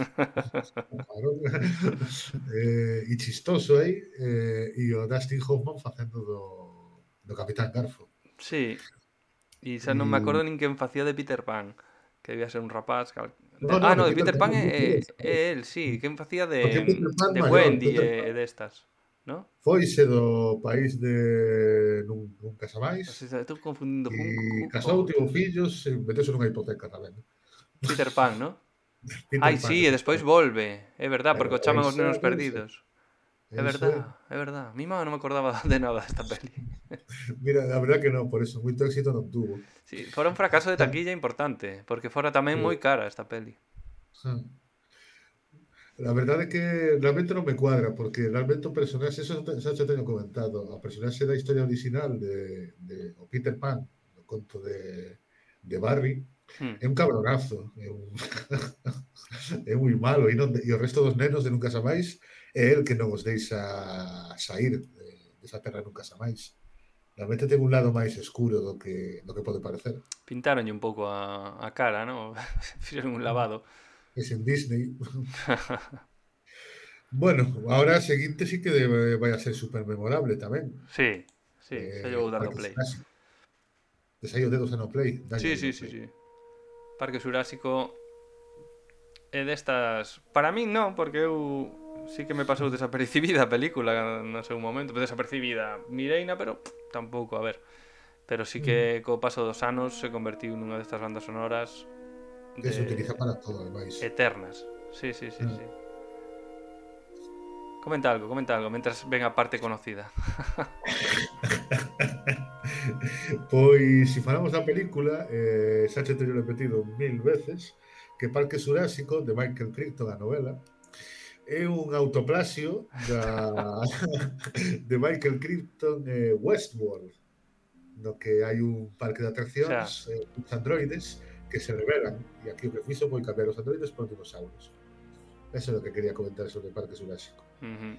eh, e chistoso aí, eh, e o Dustin Hoffman facendo do, do Capitán Garfo. Sí. E xa non me acordo nin quen facía de Peter Pan, que debía ser un rapaz. Cal... No, no, ah, no, de Peter, Peter Pan é, é el, sí, quen facía de, de Wendy e destas, ¿no? Foise do país de nun, nun casamais. O sea, estou confundindo. E casou, tivo fillos, e metese nunha hipoteca tamén. Peter Pan, ¿no? Ai, sí, e despois volve, é verdad, porque o chaman os nenos perdidos. É verdad, é verdad. Mi mamá non me acordaba de nada desta peli. Mira, a verdad que non, por eso, moito éxito non tuvo. Sí, fora un fracaso de taquilla importante, porque fora tamén moi cara esta peli. La verdade é que realmente non me cuadra, porque realmente o personaxe, eso xa te teño comentado, o personaxe da historia original de, de o Peter Pan, o conto de, de Barry, hmm. é un cabronazo, é un é moi malo, e, non, e o resto dos nenos de Nunca Xa Máis é el que non os deixa sair de, desa terra Nunca Xa Máis. Realmente ten un lado máis escuro do que, do que pode parecer. Pintaronlle un pouco a, a cara, ¿no? Fixeron un lavado. Es en Disney. Bueno, ahora a seguinte sí que debe, vai a ser super memorable tamén. Sí, sí, eh, xa llevo dando play. Desai o dedos en o play. Sí, sí, sí, sí. Parque Xurásico é destas... Para min non, porque eu sí que me pasou desapercibida a película no seu momento. Desapercibida mireina, pero pff, tampouco, a ver. Pero sí que co paso dos anos se convertiu nunha destas bandas sonoras que se utiliza para todo, ademais. Eternas. Sí, sí, sí, mm. sí. Comenta algo, comenta algo, mentras ven a parte conocida. Pois, se si falamos da película, eh, xa te teño repetido mil veces, que Parque Xurásico, de Michael Crichton, a novela, é un autoplasio da de Michael Crichton eh, Westworld, no que hai un parque de atraccións, eh, uns androides que se revelan, e aquí o que fixo foi cambiar os androides por dinosaurios. Eso é o que quería comentar sobre o Parque Xurásico. Uh-huh.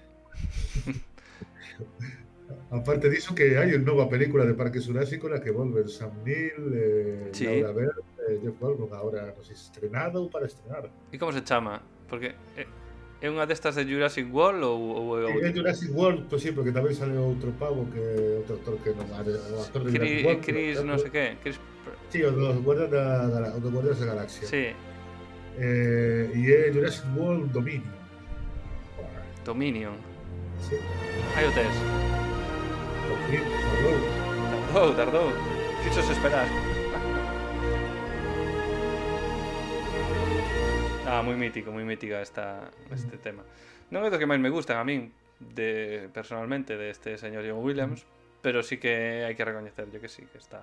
Aparte diso que hai unha nova película de Parque Xurásico na que volven Sam Neill, eh, sí. Laura Baird, eh, Jeff Goldblum, agora non sei se estrenado ou para estrenar. E como se chama? Porque é unha destas de Jurassic World ou, ou é outra? É Jurassic World, pois sí, porque tamén sale outro pavo que outro actor que non é o actor de Chris, Jurassic World. Chris non sei que, Chris... Sí, o dos Guardias da, da, da Guardias da Galaxia. Sí. Eh, e é Jurassic World Dominion. Dominion. Sí. Hai o test. Por fin, tardou. Tardou, tardou. Fixos esperar. Ah, moi mítico, moi mítica esta, este tema. Non é do que máis me gustan a min, de, personalmente, deste señor John Williams, pero sí que hai que recoñecerlle que sí, que está...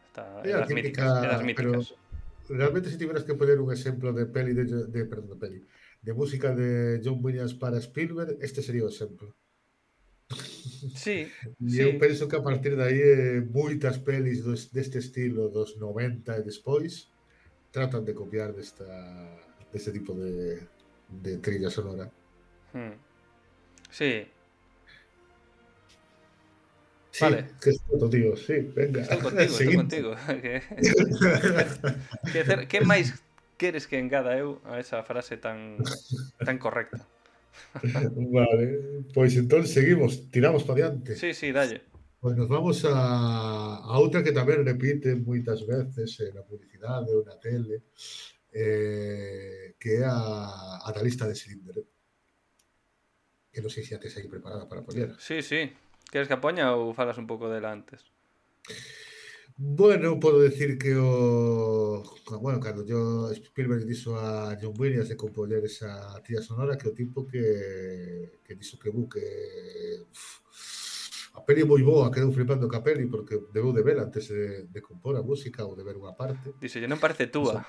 está é É a das míticas, é das típica, pero míticas. realmente si tiveras que poner un exemplo de peli de, de perdón, de peli, de música de John Williams para Spielberg, este sería o exemplo. Sí, E eu sí. penso que a partir de aí eh, moitas pelis dos, deste estilo dos noventa e despois tratan de copiar desta deste tipo de, de trilla sonora. Hmm. Sí, Sí, vale. que estou, tío, sí, venga, Estou contigo, estou seguinte. contigo. que, que, que, que máis queres que engada eu a esa frase tan tan correcta? Vale, pois entón seguimos, tiramos para diante. Sí, sí, dalle. Pois nos vamos a, a outra que tamén repite moitas veces eh, na publicidade ou na tele, eh, que é a, a da lista de Schindler. Que non sei se a tes aí preparada para poñer. Sí, sí. Queres que a poña ou falas un pouco dela antes? Bueno, podo decir que o... Bueno, cando yo Spielberg dixo a John Williams de compoñer esa tría sonora, que o tipo que, que dixo que bu, que uf, a peli é moi boa, quedou flipando ca peli porque debeu de ver antes de, de compor a música ou de ver unha parte. Dice, non parece túa.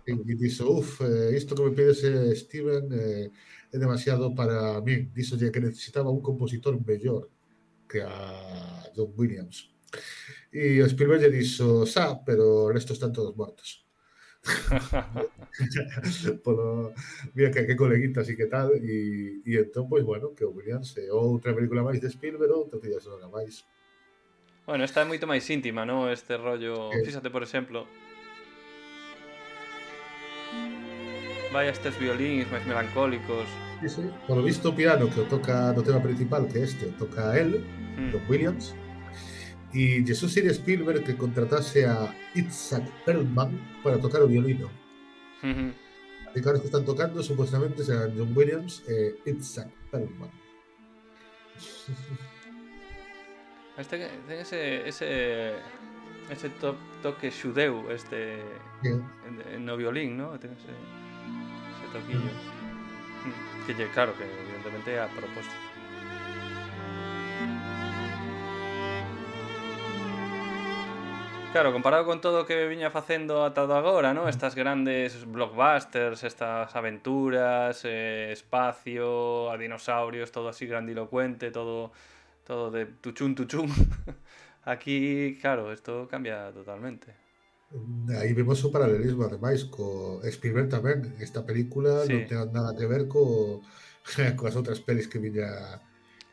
E dixo, uf, eh, isto que me pides eh, Steven eh, é demasiado para min. Dixo que necesitaba un compositor mellor que a John Williams. E o Spielberg lle dixo, xa, pero o resto están todos mortos. Polo, mira que, que coleguitas e que tal, e, e entón, pois, bueno, que o Williams é outra película máis de Spielberg, outra tilla sonora máis. Bueno, esta é moito máis íntima, non? Este rollo... Que- Fíxate, por exemplo... Vai a estes violíns máis melancólicos. Sí, sí. Por lo visto o piano que o toca no tema principal, que este o toca él, Hmm. John Williams, e Jesús sería Spielberg que contratase a Itzhak Perlman para tocar o violino. Mhm. Así que ahora que están tocando supuestamente serán John Williams e Itzhak Perlman. Este ten ese... ese... ese to toque xudeu, este... Bien. no violín, ¿no? Ten ese... ese toquillo. Mm. Que lle, claro, que evidentemente é a propósito. Claro, comparado con todo o que viña facendo ata do agora, ¿no? Estas grandes blockbusters, estas aventuras, eh, espacio, a dinosaurios, todo así grandilocuente, todo todo de tuchún tuchún. Aquí, claro, esto cambia totalmente. Aí vemos o paralelismo, ademais, co Spielberg tamén. Esta película Sí. non ten nada que ver co coas outras pelis que viña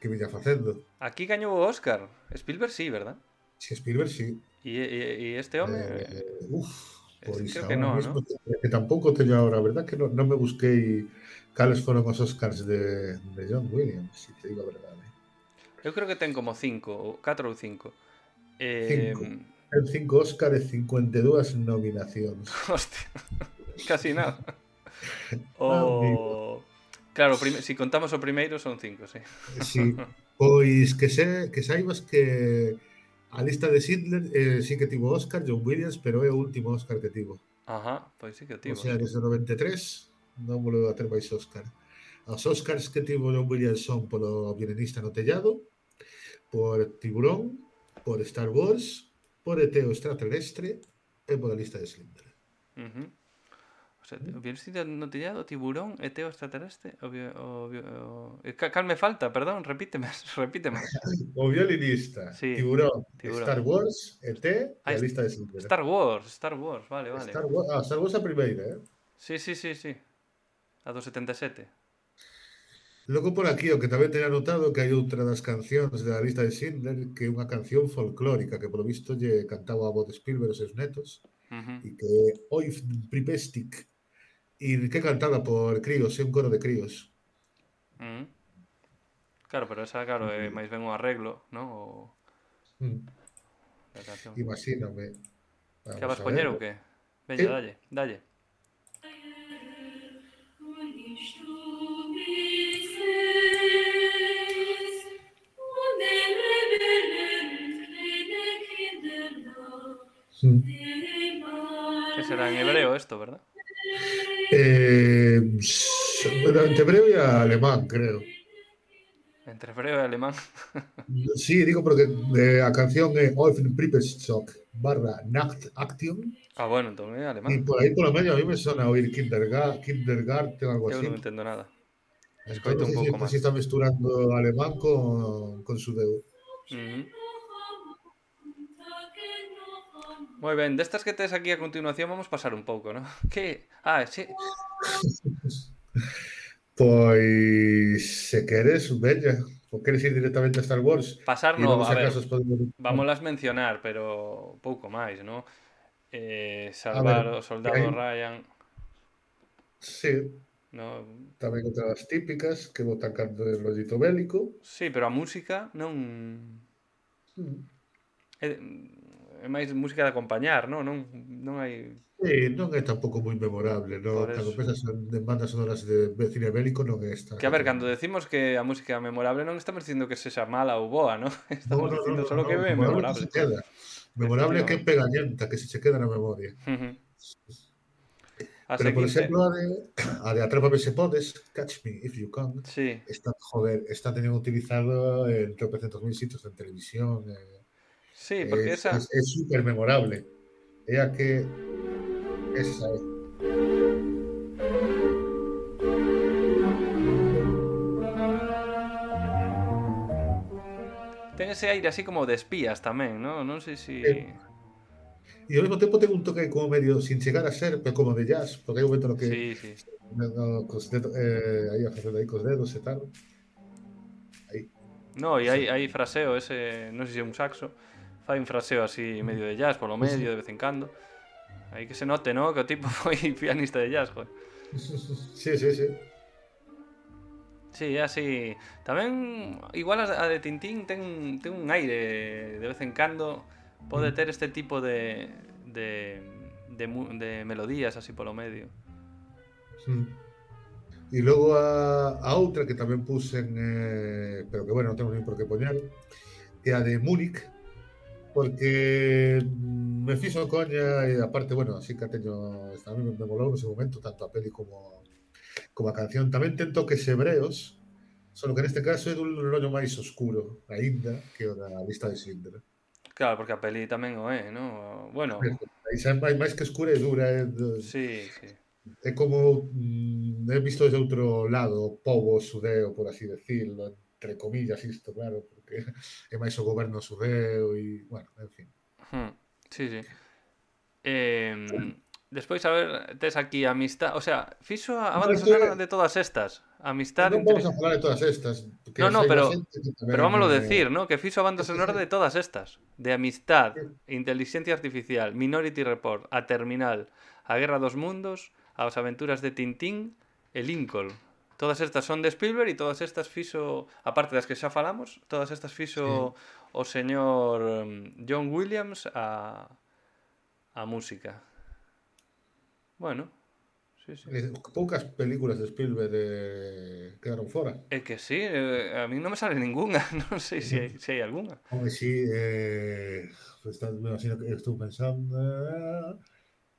que viña facendo. Aquí gañou o Óscar. Spielberg sí, ¿verdad? Si Spielberg, sí. E, e, e este home... Eh, uf, pois creo ahora que no, mismo ¿no? que tampouco teño ahora, a verdad que non, non me busquei cales foron os Oscars de, de John Williams, se te digo a verdade. Eu creo que ten como cinco, ou catro ou cinco. Eh, Cinco. Ten cinco Oscar e cincuenta e dúas nominacións. Hostia, casi nada. Amigo. O... Claro, prime... si contamos o primeiro son cinco, sí. Sí, pois que se que saibas que a lista de Schindler eh, sí que tivo Oscar, John Williams, pero é o último Oscar que tivo. Ajá, pois sí que o O tivo. sea, Sí. desde o noventa e tres non volveu a ter máis Oscar. Os Oscars que tivo John Williams son polo Violinista no tellado, por Tiburón, por Star Wars, por E T o extraterrestre e por a lista de Schindler. Uh-huh. O sea, o violinista no tellado, tiburón, E T o extraterrestre, o, bio, o, bio, o... Cal me falta, perdón, repíteme, repíteme. O Violinista, Sí, Tiburón, Tiburón. Star Wars, E T e Ah, a lista de Schindler. Star Wars, Star Wars, vale, vale. Star Wars, ah, Star Wars a primeira, eh? Sí, sí, sí, sí. A do setenta e sete. Logo por aquí, o que tamén teña notado que hai outra das cancións da lista de Schindler que é unha canción folclórica que polo visto lle cantaba a voz de Spielberg os seus netos Uh-huh. e que é Oi Pripestik e que é cantada por críos, é un coro de críos. Uh-huh. Claro, pero esa, claro, é máis ben un arreglo, non? O... Mm. Da canción. Imagíname. Que vas poñer ou que? Veña, Sí. dalle, dalle. Mm. Que será en hebreo esto, ¿verdad? Eh, entre hebreo y alemán, creo. Entre hebreo e alemán. Sí, digo porque eh, a canción é Öffnen Pripetstock barra Nacht Action Ah, bueno, entón é y alemán. por ahí por lo medio a mí me suena oír Kinderga- Kindergarten o algo Eu así. non entendo nada. Entonces no Escoito un sé si, pouco si máis. está mezclando alemán con, con sudeu. Uh -huh. Moi ben, destas que tes aquí a continuación vamos pasar un pouco, ¿no? Que? Ah, sí. Pois se queres, veña. Ou queres ir directamente a Star Wars Pasar e no, logo a se ver, acaso os podemos... vámolas mencionar, pero pouco máis, ¿no? Eh, A ver, salvar o soldado hai, Ryan, sí, ¿no? tamén outras típicas que botan canto de rollito bélico. Sí, pero a música non Mm. é, é máis música de acompañar, ¿no? Non non hai Sí, non é tampouco moi memorable, no? por Cando eso. pensas en bandas sonoras de de cine bélico non é esta Que a que te ver, cando lembra. decimos que a música é memorable non estamos dicindo que sexa mala ou boa, ¿no? No, Estamos no, no, dicindo no, solo no, que é memorable que memorable. se queda. Memorable é que é Efectivamente. pegañenta, que se che queda na memoria. A Pero, por seguinte, exemplo, a de, a de Atrápame se podes, Catch Me If You Can, sí. está, joder, está teniendo utilizado en tropecientos mil sitios en televisión. Eh, Sí, porque es esa es, es súper memorable. É a que esa é. ten ese aire así como de espías tamén, ¿no? Non sei se Eh, E ao mesmo tempo ten un toque como medio sin chegar a ser, pero como de jazz, porque hai un momento no que sí, sí. no, cos dedos, eh, aí a facendo aí cos dedos e tal. Aí. No, e Sí. hai, hai fraseo ese, non sei se é un saxo, fai un fraseo así medio de jazz polo medio de vez en cando. Aí que se note, ¿no? Que o tipo foi pianista de jazz, joder. Sí, sí, sí. Sí, é así. Tamén, igual a a de Tintín ten, ten un aire de vez en cando. Pode ter este tipo de, de, de, mu- de melodías así polo medio. Mm. E logo a, a outra que tamén puxen, eh, pero que bueno, non temos nin por que poñer, que a de Múnich, porque mm, me fixo coña e aparte, bueno, así que teño, a mí me molou no seu momento tanto a peli como, como a canción. Tamén ten toques hebreos, solo que neste caso é dun rollo máis oscuro, aínda, que o da lista de Schindler. Claro, porque a peli tamén o é, ¿no? Bueno, Aí xa é máis, máis que escura e dura, é, sí, sí. é como mm, é visto desde outro lado, o pobo xudeo, por así decirlo, entre comillas isto, claro, porque é máis o goberno xudeo e, bueno, en fin. Hmm, sí, sí. Eh, despois, a ver, tes aquí Amistad. O sea, fixo a a No, banda isto sonora é, de todas estas. Amistad, non vamos intri- a falar de todas estas, que No, as no, hai máis pero xente que pero tamén vámoslo eh, decir, ¿no? Que fixo a banda sí, sonora sí, de todas estas. De Amistad, sí. Inteligencia Artificial, Minority Report, A Terminal, A Guerra dos Mundos, As Aventuras de Tintín e Lincoln. Todas estas son de Spielberg e todas estas fixo, aparte das que xa falamos, todas estas Sí. fixo o señor um, John Williams a a música. Bueno, sí, sí. Eh, poucas películas de Spielberg eh, quedaron fora. É que sí, eh, a mí non me sale ninguna, non sei se hai, se hai algunha. Home, sí, eh, está, me imagino que estou pensando...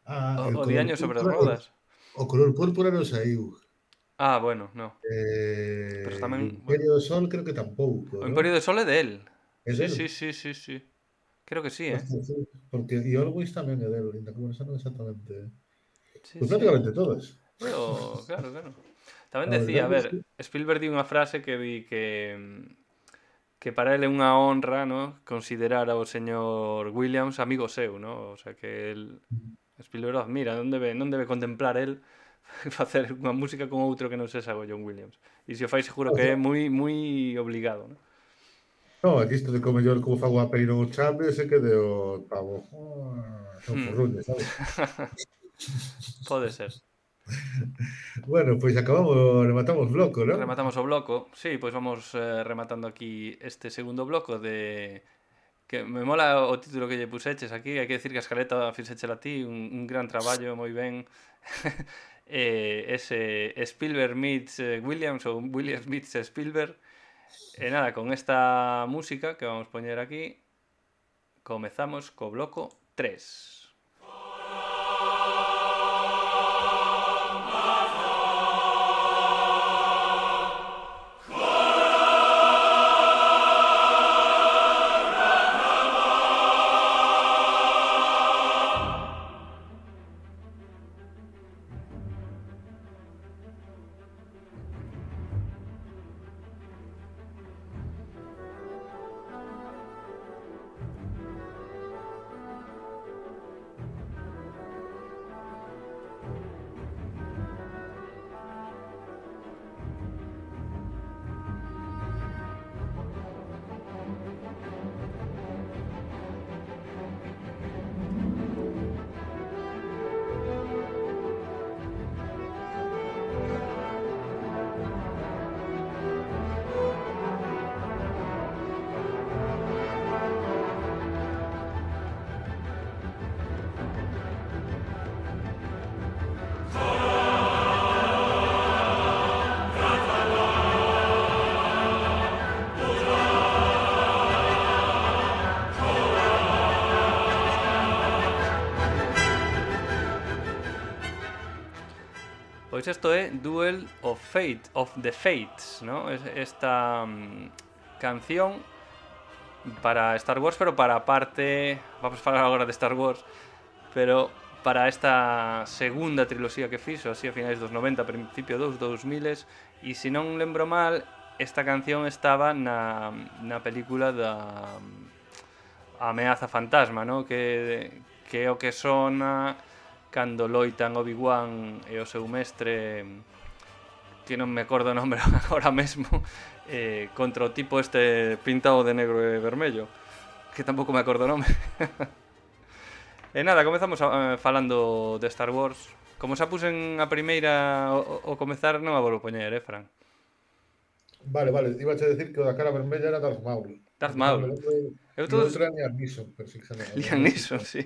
Ah, O, el o color Diaño sobre púrpura, rodas. o color púrpura non saiu. Ah, bueno, no. Pero Eh, e tamén, o bueno, Imperio do Sol creo que tampouco, o non? Imperio do Sol é de él. É Sí, del? sí, sí, sí, sí. Creo que sí, eh. Hostia, sí, porque e Always tamén é del, ainda que bueno, xa non exactamente. Sí, Pois sí. prácticamente todas. Eu, claro, claro. Tamén A decía, a verdade é ver, que Spielberg di unha frase que di que que para ele é unha honra, ¿no? Considerar ao señor Williams amigo seu, ¿no? O sea, que el Spielberg o admira, non debe, non debe contemplar el facer unha música con outro que non sexa o John Williams. E se o fai seguro que é moi moi obligado, ¿no? no, aquí isto de como mellor como fago a peli non o chame, se que de o pavo. Ah, son Hmm. forruñas, sabes? Pode ser. Bueno, pois acabamos, rematamos bloco, non? Rematamos o bloco. Sí, pois vamos eh, rematando aquí este segundo bloco de que me mola o título que lle puseches aquí, hai que decir que a escaleta fixéchela ti, un, un gran traballo, moi ben. eh, ese Spielberg meets eh, Williams ou Williams meets Spielberg. E nada, con esta música que vamos poñer aquí, comezamos co bloco tres. Pois isto é Duel of Fate, of the Fates, ¿no? Esta um, canción para Star Wars, pero para a parte... Vamos falar agora de Star Wars, pero para esta segunda triloxía que fixo, así a finais dos noventa, principio dos dous miles, e se non lembro mal, esta canción estaba na, na película da Ameaza Fantasma, ¿no? Que, que é o que sona cando loitan Obi-Wan e o seu mestre, que non me acordo o nome agora mesmo, eh, contra o tipo este pintado de negro e vermello, que tampouco me acordo o nome. E nada, comezamos a, falando de Star Wars. Como xa pusen a primeira o, o comezar, non a volvo poñer, eh, Fran? Vale, vale, iba a decir que o da cara vermella era Darth Maul. Darth Maul. E o outro era Liam Neeson, pero sin género. Liam Neeson, sí.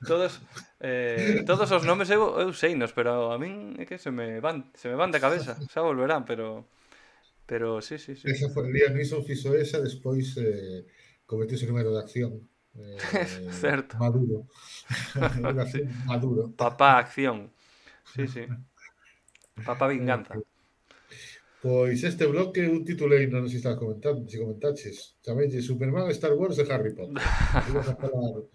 Todos, eh, todos os nomes eu, eu seinos, pero a min é que se me van, se me van da cabeza. Xa volverán, pero pero sí, sí, sí. Esa foi, Liam Neeson fixo esa, despois eh, cometeuse o número de acción. Eh, Certo. Maduro. Sí. Maduro. Papá acción. Sí, sí. Papá vinganza. Pois este bloque un titulei, non sei se estás comentando, se comentaches, chamelle Superman, Star Wars e Harry Potter. Ibas a falar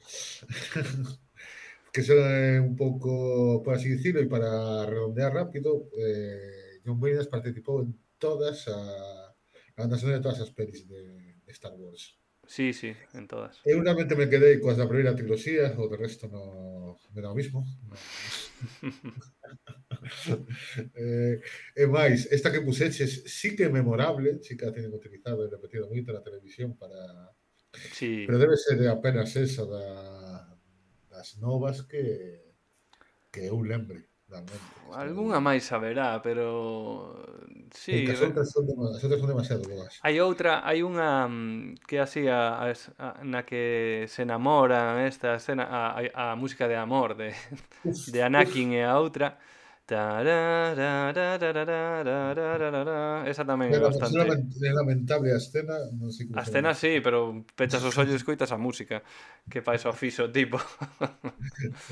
que son eh, un pouco, por así dicirlo, e para redondear rápido, eh, John Williams participou en todas a, a banda sonora de todas as pelis de, de Star Wars. Sí, sí, en todas. Eu realmente me quedei coas da primeira triloxía, o de resto no me dá o mismo. No. eh, e máis, esta que puseches sí que é memorable, sí que a tienen utilizado e repetido moito na televisión para... Sí. Pero debe ser apenas esa da, das novas que que eu lembre. Algúnha máis saberá, pero sí, as outras son, as outras son demasiado boas. Hai outra, hai unha que así a, a, a, na que se enamoran esta escena, a, a, a música de amor de, uf, de Anakin uf. E a outra. Esa tamén é bastante. É lamentable a escena, non sei como. A escena sí, pero pechas os ollos e escoitas a música, que fai o fixo tipo.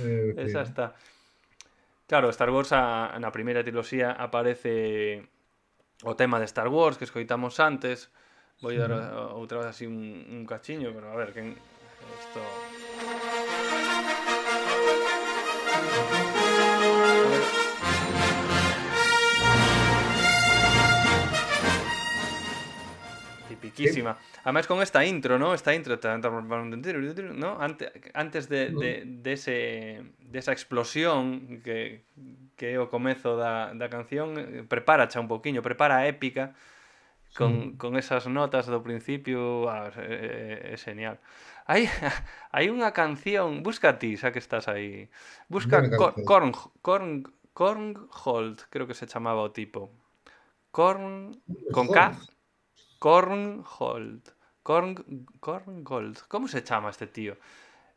eh, Esa está. Claro, Star Wars a, na primeira triloxía aparece o tema de Star Wars que escoitamos antes. Vou dar uh, outra vez así un, un cachiño, pero a ver, que isto... Tipiquísima. Además con esta intro, ¿no? Esta intro, ¿no? Antes, antes de, de, de, ese, de esa explosión que, que é o comezo da, da canción, prepara xa un poquinho, prepara a épica con, sí. con esas notas do principio. Ah, é, é genial. Hai, hai unha canción, busca ti, xa que estás aí. Busca Korn, Korn, Korngold, creo que se chamaba o tipo. Korn, con K. Korngold. Korn, Korngold. Como se chama este tío?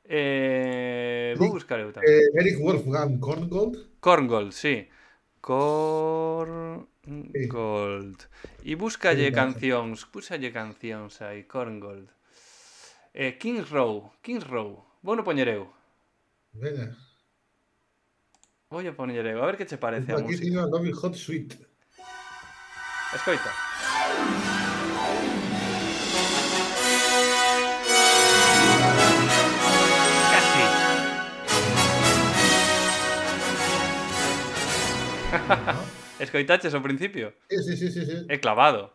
Eh, vou buscar eu tamén. Eh, Eric Wolfgang Korngold? Korngold, sí. Korngold. E búscalle sí, cancións, búscalle cancións aí, Korngold. Eh, Kings Row, Kings Row. Vou no poñer eu. Venga. Vou a poñer eu, a ver que che parece a música. Aquí música. Aquí Robin Hood Suite. Escoita. Escoitaches ao principio? Sí, sí, sí, sí, sí. É clavado.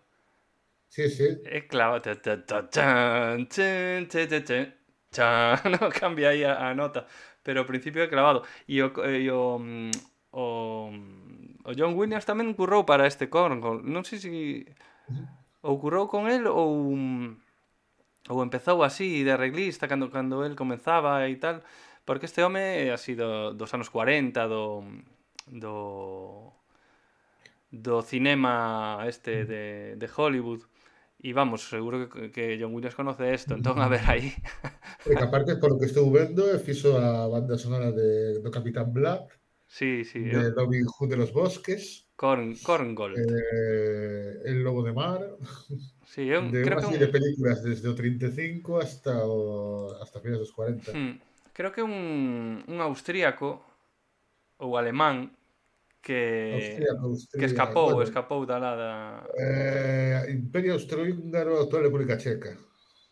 Sí, sí. É clavado. No cambia aí a, a nota, pero ao principio é clavado. E o, e o, o, o John Williams tamén currou para este Korngold. Non sei se ou currou con el ou ou empezou así de arreglista cando cando el comezaba e tal, porque este home é así do, dos anos cuarenta, do do do cinema este de, de Hollywood, e vamos, seguro que, que John Williams conoce isto, entón a ver aí. E que aparte, polo que estou vendo, fixo a banda sonora de, do Capitán Black, sí, sí, de eu... Robin Hood de los Bosques, Korn, Korngold, eh, El Lobo de Mar, sí, eu de creo unha que serie un... de películas desde o treinta e cinco hasta o hasta finais dos cuarenta. Hmm. Creo que un, un austríaco ou alemán que Austríaco, que Austria, escapou, bueno, escapou da lá da eh, Imperio Austrohúngaro, actual República Checa.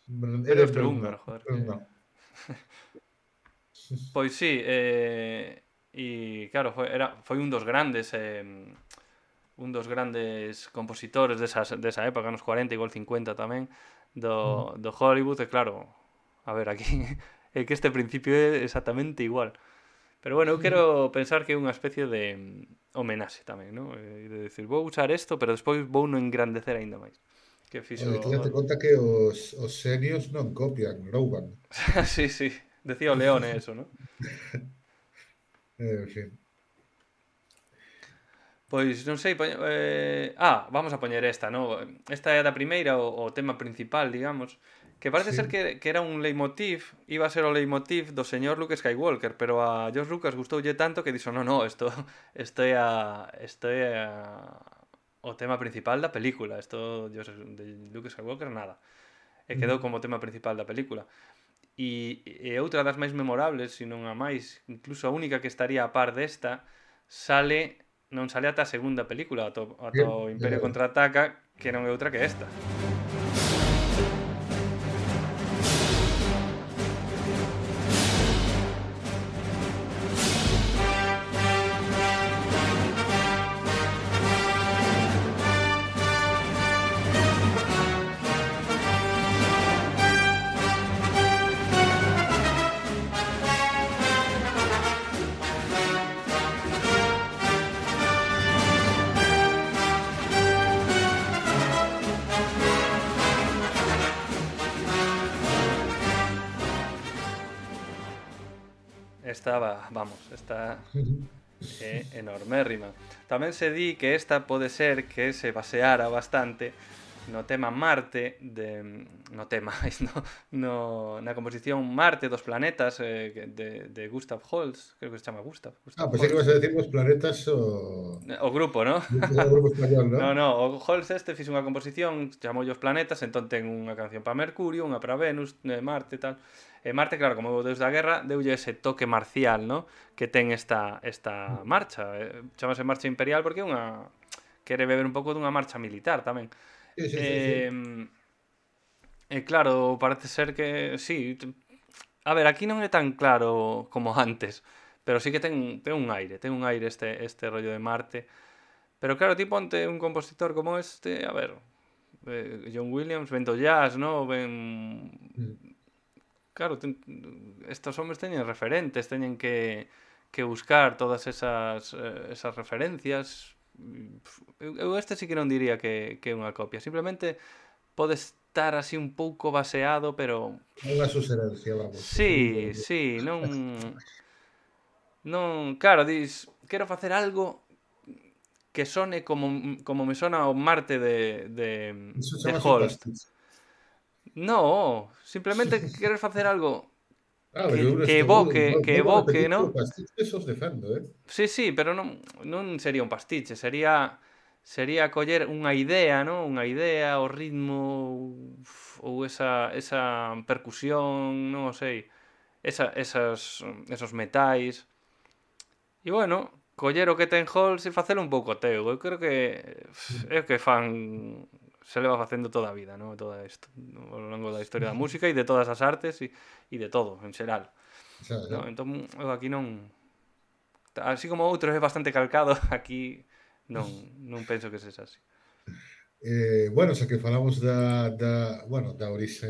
Imperio Edimburgo, Austrohúngaro, joder, que... no. Pois sí, eh, e claro, foi, era, foi un dos grandes eh, un dos grandes compositores desas, desa época, nos cuarenta, igual cincuenta tamén, do, do Hollywood, e claro, a ver, aquí é que este principio é exactamente igual. Pero bueno, eu quero pensar que é unha especie de mm, homenaxe tamén, ¿no? E de decir, vou usar isto, pero despois vou no engrandecer aínda máis. Que Oye, tú date fixo... conta que os, os senios non copian, rouban. sí, sí, decía o Leone eso, ¿no? En fin. Pois non sei, poñ- eh... ah, vamos a poñer esta, ¿no? Esta é a da primeira, o, o tema principal, digamos, que parece ser Sí. que, que era un leitmotiv, iba a ser o leitmotiv do señor Luke Skywalker, pero a George Lucas gustoulle tanto que dixo, no, no, isto, isto é a, isto é a, o tema principal da película, isto de Luke Skywalker nada. E quedou como tema principal da película. E, e outra das máis memorables, se non a máis, incluso a única que estaría a par desta, sale non sale ata a segunda película, ata, ata o Imperio Eh, Contraataca, que non é outra que esta. Esta, va- vamos, esta é enormérrima. Tamén se di que esta pode ser que se baseara bastante no tema Marte de, no tema, no, no, na composición Marte dos planetas eh, que- de, de Gustav Holst, creo que se chama Gustav, Ah, Gustav pensé que Holst. ibas a decir los planetas o... O grupo, ¿no? o grupo español, ¿no? No, no, o Holst este fixo unha composición, chamou os planetas, entón ten unha canción para Mercurio, unha para Venus, eh, Marte e tal. E Marte, claro, como o deus da guerra, deulle ese toque marcial, ¿no? Que ten esta, esta marcha. Eh, chamase Marcha Imperial porque é unha... quere beber un pouco dunha marcha militar tamén. Sí, sí, sí, sí. Eh, e claro, parece ser que sí. t- A ver, aquí non é tan claro como antes, pero sí que ten, ten un aire, ten un aire este, este rollo de Marte. Pero claro, ti ponte un compositor como este, a ver, eh, John Williams, ven do jazz, ¿no? Ven... Mm. Claro, ten, estos homes teñen referentes, teñen que, que buscar todas esas, eh, esas referencias. Eu, eu este sí que non diría que, que é unha copia, simplemente pode estar así un pouco baseado, pero Unha suserencia, vamos. sí, sí, non non, claro, dis, quero facer algo que sone como, como me sona o Marte de, de, Eso de chamase un Holst. pastiche. No, simplemente querer facer algo Ah, que, pero eu que estou... evoque, que Volvo a evoque, repetir que o ¿no? pastiche esos defendo, eh? Sí, sí, pero non, non sería un pastiche, sería sería coller unha idea, ¿no? Unha idea, o ritmo uf, ou esa, esa percusión, non o sei, esa, esas, esos metais. E bueno, coller o que ten Halls e facelo un pouco teu. Eu creo que uf, é o que fan se leva facendo toda a vida, ¿no? Toda isto, ao longo da historia da música e de todas as artes e, e de todo, en xeral. O sea, No, entón, eu aquí non... Así como outros é bastante calcado, aquí non, non penso que sexa así. eh, bueno, xa que falamos da, da, bueno, da orixe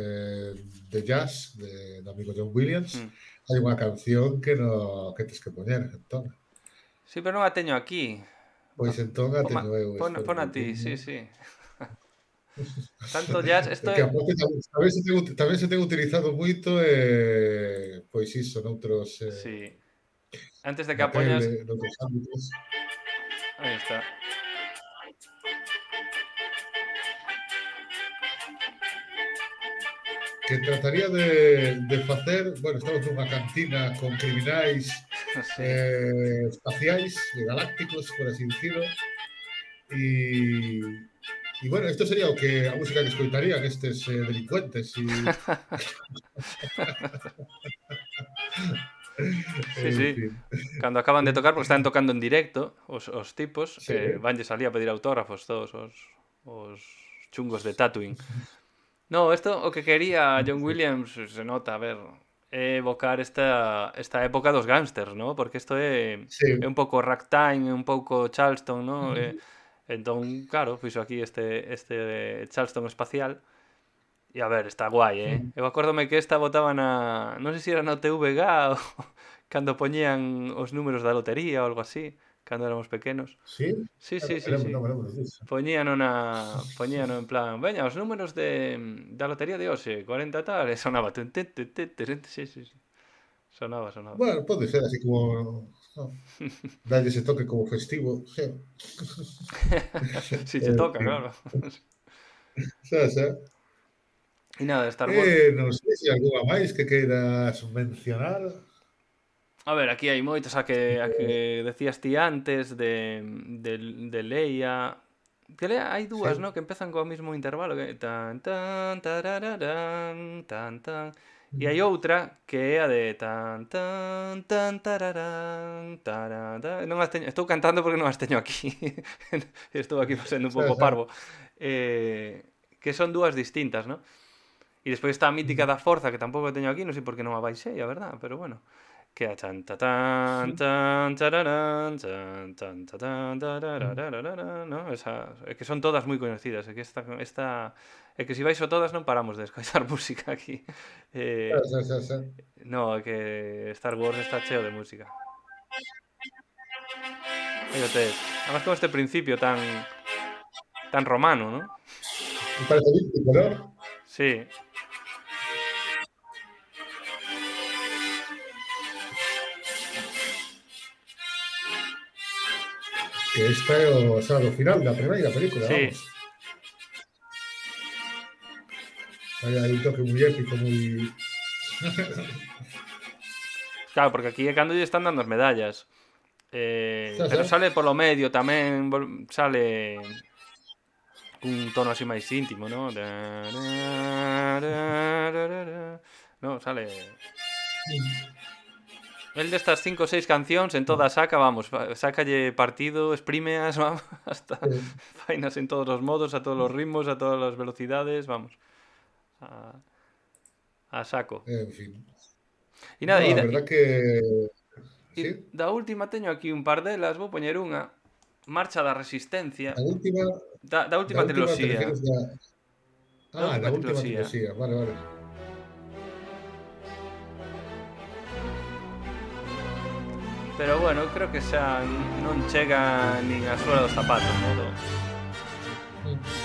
de jazz de, do amigo John Williams, Mm. hai unha canción que no que tes que poñer, entón. Sí, pero non a teño aquí. Pois entón a Pon, teño eu, pon, espera pon un a ti, pouquiño. sí, sí. Tanto jazz, isto Que é... aparte tamén, tamén, se ten, tamén se ten utilizado moito eh, pois iso noutros eh, Sí. Antes de que na a poñas... tele, noutros ámbitos. Aí está. Que trataría de, de facer, bueno, estamos nunha cantina con criminais Sí. eh, espaciais, galácticos, por así dicirlo, e e bueno, isto sería o que a música que escoitarían estes eh, delincuentes e Sí, En sí. fin. Cando acaban de tocar, porque están tocando en directo, os, os tipos, Sí. eh, vanlle salía a pedir autógrafos todos os, os chungos de Tatooine. No, isto o que quería John Williams, se nota, a ver, é evocar esta, esta época dos gángsters, ¿no? Porque isto é, Sí. é un pouco ragtime, é un pouco Charleston, ¿no? Eh, entón, claro, fixo aquí este, este Charleston espacial. E a ver, está guai, eh? Eu acórdome que esta botaba na... Non sei se era na T V G ou cando poñían os números da lotería ou algo así, cando éramos pequenos. ¿Sí? Sí, Ah, sí, no me sí, lembro, sí. non me lembro disso. Poñíano na... Poñíano en plan, veña, os números de da lotería de hoxe, cuarenta tal, e sonaba tun, tun, tun, tun, tun, sí, sí, sí. Sonaba, sonaba. Bueno, pode ser así como, no, darlle ese toque como festivo, sí. Si che En toca, fin. claro. Xa, xa. E nada, Star Wars. Eh, non sei se algunha máis que queiras mencionar. A ver, aquí hai moitas, a que, a que decías ti antes de, de, de Leia. Que Leia hai dúas, Sí. ¿no? Que empezan co mesmo intervalo, que tan tan tarararán, tan tan. E hai outra que é a de tan tan tan tararán, tararán. Non as teño, estou cantando porque non as teño aquí. Estou aquí facendo un Xa, pouco xa. parvo. Eh, que son dúas distintas, ¿no? E despois está a mítica da Forza, que tampouco a teño aquí, non sei por que non a baixei, a verdad, pero bueno. Que é chan ta tan tan tararán, chan tan ta tan tararararara, ¿no? Esa, é que son todas moi coñecidas, é que esta, esta é que se si baixo todas non paramos de escoitar música aquí. Xa, Eh, xa, xa, xa. no, é que Star Wars está cheo de música. Fíjate, además con este principio tan tan romano, ¿no? Me parece olímpico, ¿no? Sí. Que esta é o, xa, do final da primeira película, Sí. vamos. Hai aí un toque moi épico, moi... Claro, porque aquí é cando lle están dando as medallas. Eh, Xa, pero xa. sale polo medio tamén, vol- sale un tono así máis íntimo, ¿no? No, sale... El destas cinco ou seis cancións en todas saca, vamos, fa- sácalle partido, exprímeas, vamos, hasta Sí. fainas en todos os modos, a todos os ritmos, a todas as velocidades, vamos. A, a saco. En fin. E nada, No, e a da, verdad que... e Sí, da última teño aquí un par delas, vou poñer unha, Marcha da Resistencia, a última... da, da Da última última te triloxía. refieres da... Da Ah, última da última triloxía. triloxía, vale, vale. Pero bueno, creo que xa non chega nin a suela dos zapatos, ¿no? do,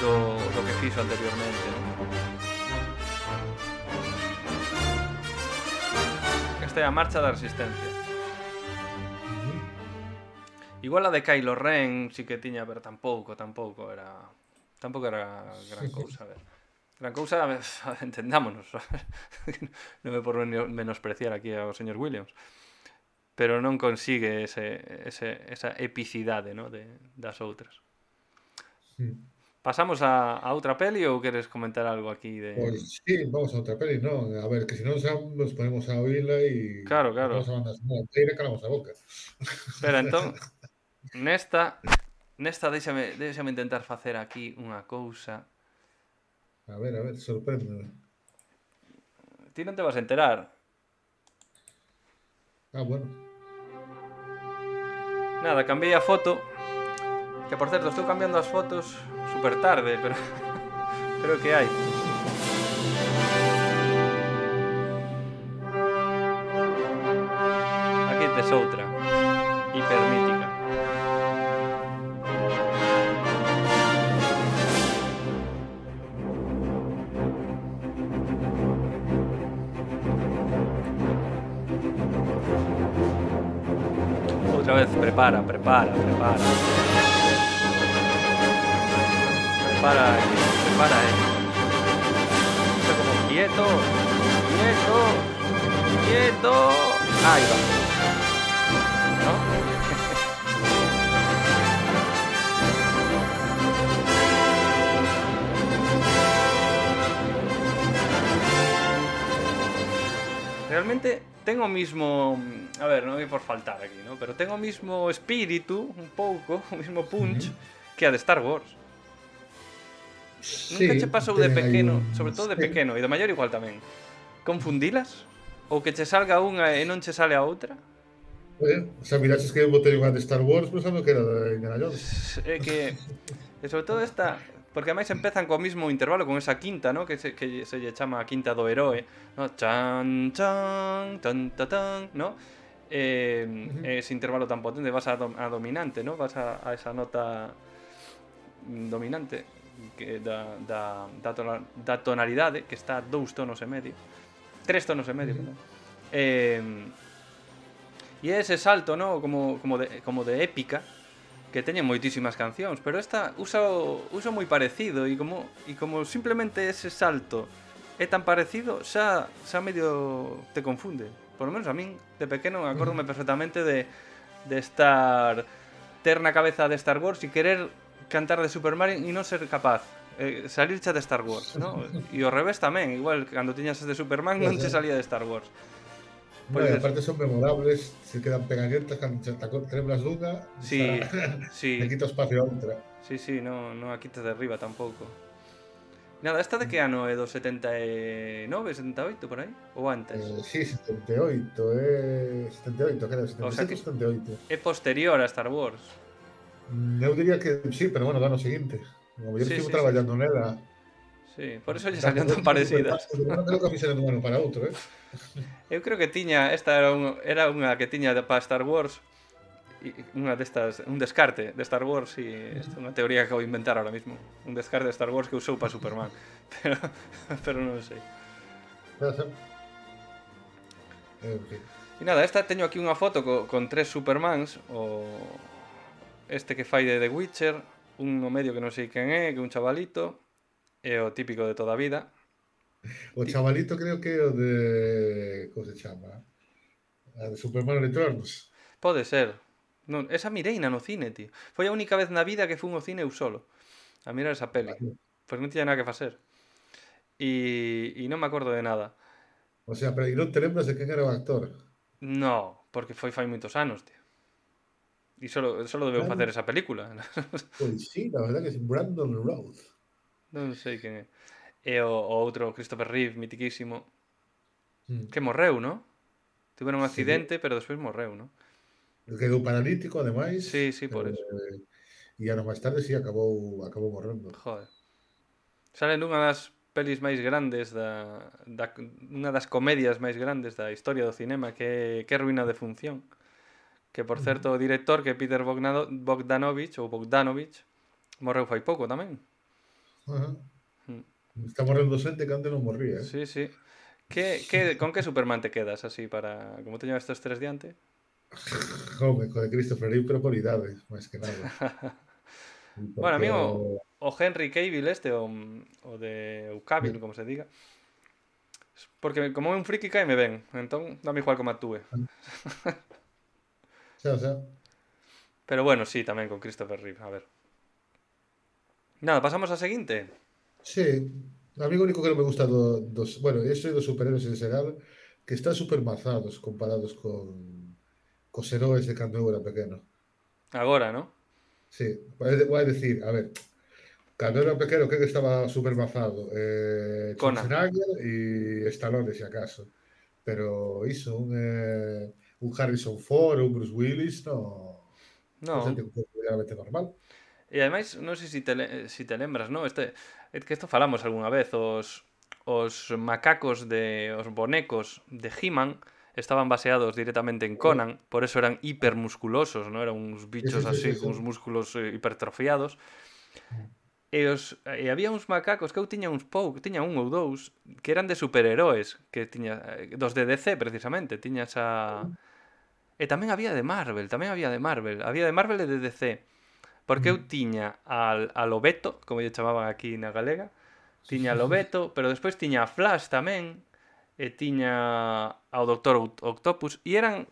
do, do que fixo anteriormente, ¿no? Esta é a Marcha da Resistencia. Igual a de Kylo Ren sí que tiña, pero tampouco, tampouco era tampouco era gran cousa, a ver. Gran cousa, a ver, entendámonos. Non me por menospreciar aquí ao señor Williams. Pero non consigue ese, ese, esa epicidade, ¿no? de, das outras. Pasamos a, a outra peli ou queres comentar algo aquí de... Pois sí, vamos a outra peli, non? A ver, que se non xa nos ponemos a oíla e Claro, claro. vamos a banda sonora inteira e calamos a boca. Espera, entón, nesta, nesta déxame, déxame intentar facer aquí unha cousa. A ver, a ver, sorpréndeme. Ti non te vas a enterar. Ah, bueno. Nada, cambiei a foto. Que por certo, estou cambiando as fotos super tarde, pero pero que hai. Aquí tes outra. Hipermítica. Outra vez, prepara, prepara, prepara. Prepara, prepara, eh. Esto como quieto, quieto, quieto. Ahí va. ¿No? Realmente ten o mismo, a ver, non é por faltar aquí, ¿no? Pero ten o mismo espírito, un pouco, o mismo punch Ujú. que a de Star Wars. Nunca che Sí, pasou de ten aí pequeno, un... sobre todo de Sí. pequeno, e de maior igual tamén, confundilas? Ou que che salga unha e non che sale a outra? Oye, o sea, miraches que eu botei unha de Star Wars pensando que era de Indiana Jones. É que, e sobre todo esta, porque ademais empezan co mismo intervalo, con esa quinta, ¿no? Que se, que se lle chama a quinta do heroe, ¿no? Chan, chan, tan, ta, tan, ¿no? Eh, Ujú. ese intervalo tan potente, vas a, dom- a dominante, ¿no? Vas a, a esa nota dominante que da, da, da, tona- da tonalidade, que está a dous tonos e medio, tres tonos e medio, Ujú. perdón. Eh, e é ese salto, ¿no? Como, como, de, como de épica, que teñen moitísimas cancións, pero esta usa o, usa moi parecido e como e como simplemente ese salto é tan parecido, xa xa medio te confunde. Por lo menos a min de pequeno acórdome perfectamente de de estar ter na cabeza de Star Wars e querer cantar de Super Mario e non ser capaz. Eh, salirche de Star Wars, ¿no? E ao revés tamén, igual cando tiñas de Superman non che salía de Star Wars. No, Pois e es, aparte son memorables, se quedan pegañentas cando te lembras dunha, xa sí, le sí, quita espacio a outra. sí, sí, no, no aquí te derriba tampouco. Nada, esta de que ano é do setenta e nove, setenta e oito, por aí? Ou antes? Eh, sí, setenta e oito, eh, setenta e oito, creo, O setenta e sea sete que ou setenta e oito. é posterior a Star Wars. Mm, Eu diría que sí, pero bueno, do ano seguinte. O mellor Sí, estivo sí, sí, sí. traballando nela. Sí, por eso lle Da salían tan parecidas. Superman creo que a fixeron dun ano para outro, eh? Eu creo que tiña, esta era, un, era unha que tiña de- para Star Wars, e unha destas, un descarte de Star Wars, e esta é unha teoría que acabo de inventar ahora mismo. Un descarte de Star Wars que usou para Superman. Pero, pero non sei. Pode ser. En fin. E nada, esta teño aquí unha foto co, con tres Supermans, o este que fai de The Witcher, un no medio que non sei quen é, que é un chavalito, é o típico de toda a vida. O Ti- chavalito creo que é o de... Como se chama? A de Superman Returns. Pode ser. Non, esa mireina no cine, tío. Foi a única vez na vida que fun ao cine eu solo a mirar esa peli. Vale. Pois non tiña nada que facer. E, e non me acordo de nada. O sea, pero e non te lembras de quen era o actor? No, porque foi fai moitos anos, tío. E solo, solo debeu Claro. facer esa película. Pois sí, la verdad que es Brandon Routh. Non sei quen é. E o, o outro, Christopher Reeve, mitiquísimo, Mm. que morreu, ¿no? Tiveron un Sí, accidente, pero despois morreu, ¿no? quedou paralítico, ademais, Sí, sí, por eso. eh, e anos máis tarde sí acabou acabou morrendo. Joder. Sale nunha das pelis máis grandes da, da unha das comedias máis grandes da historia do cinema, que é Que ruína de función. Que por certo Ujú. o director, que é Peter Bogdano- Bogdanovich ou Bogdanovich, morreu fai pouco tamén. Ajá. Mm. Está morrendo xente que antes non morría, eh? Sí, sí. Que, que, con que Superman te quedas así para... Como teño estes tres diante? Home, co de Christopher Reeve, pero por idade, máis que nada. Bueno, a Porque mí o, o... o Henry Cavill este, o, o de o Cavill, como se diga, porque como é un friki caime ben, entón dame igual como actúe. Xa, xa. Pero bueno, sí, tamén con Christopher Reeve, a ver. Nada, pasamos á seguinte. Sí, a mí o único que non me gusta do, dos... Bueno, eso dos superhéroes en xeral, que están super mazados comparados con cos heróis de cando eu era pequeno. Agora, ¿no? Sí, vai vai decir, a ver, cando era pequeno, que que estaba super mazado? Eh, Conan. Schwarzenegger e Stallone, se acaso. Pero iso, un, eh, un Harrison Ford ou un Bruce Willis, no, non Non. xente completamente normal. E ademais, non sei se si te, le- si te lembras, ¿no? Este, é que isto falamos algunha vez, os, os macacos de... os bonecos de He-Man estaban baseados directamente en Conan, por eso eran hipermusculosos, ¿no? Eran uns Sí, sí, bichos sí, así, sí, sí. con uns músculos eh, hipertrofiados. E, os, e había uns macacos que eu tiña uns poucos, tiña un ou dous, que eran de superheróis, que tiña eh, dos de D C precisamente, tiña esa... E tamén había de Marvel, tamén había de Marvel, había de Marvel e de D C. Porque eu tiña al, a Lobeto, como lle chamaban aquí na galega, tiña a Lobeto, pero despois tiña a Flash tamén, e tiña ao Doctor Octopus, e eran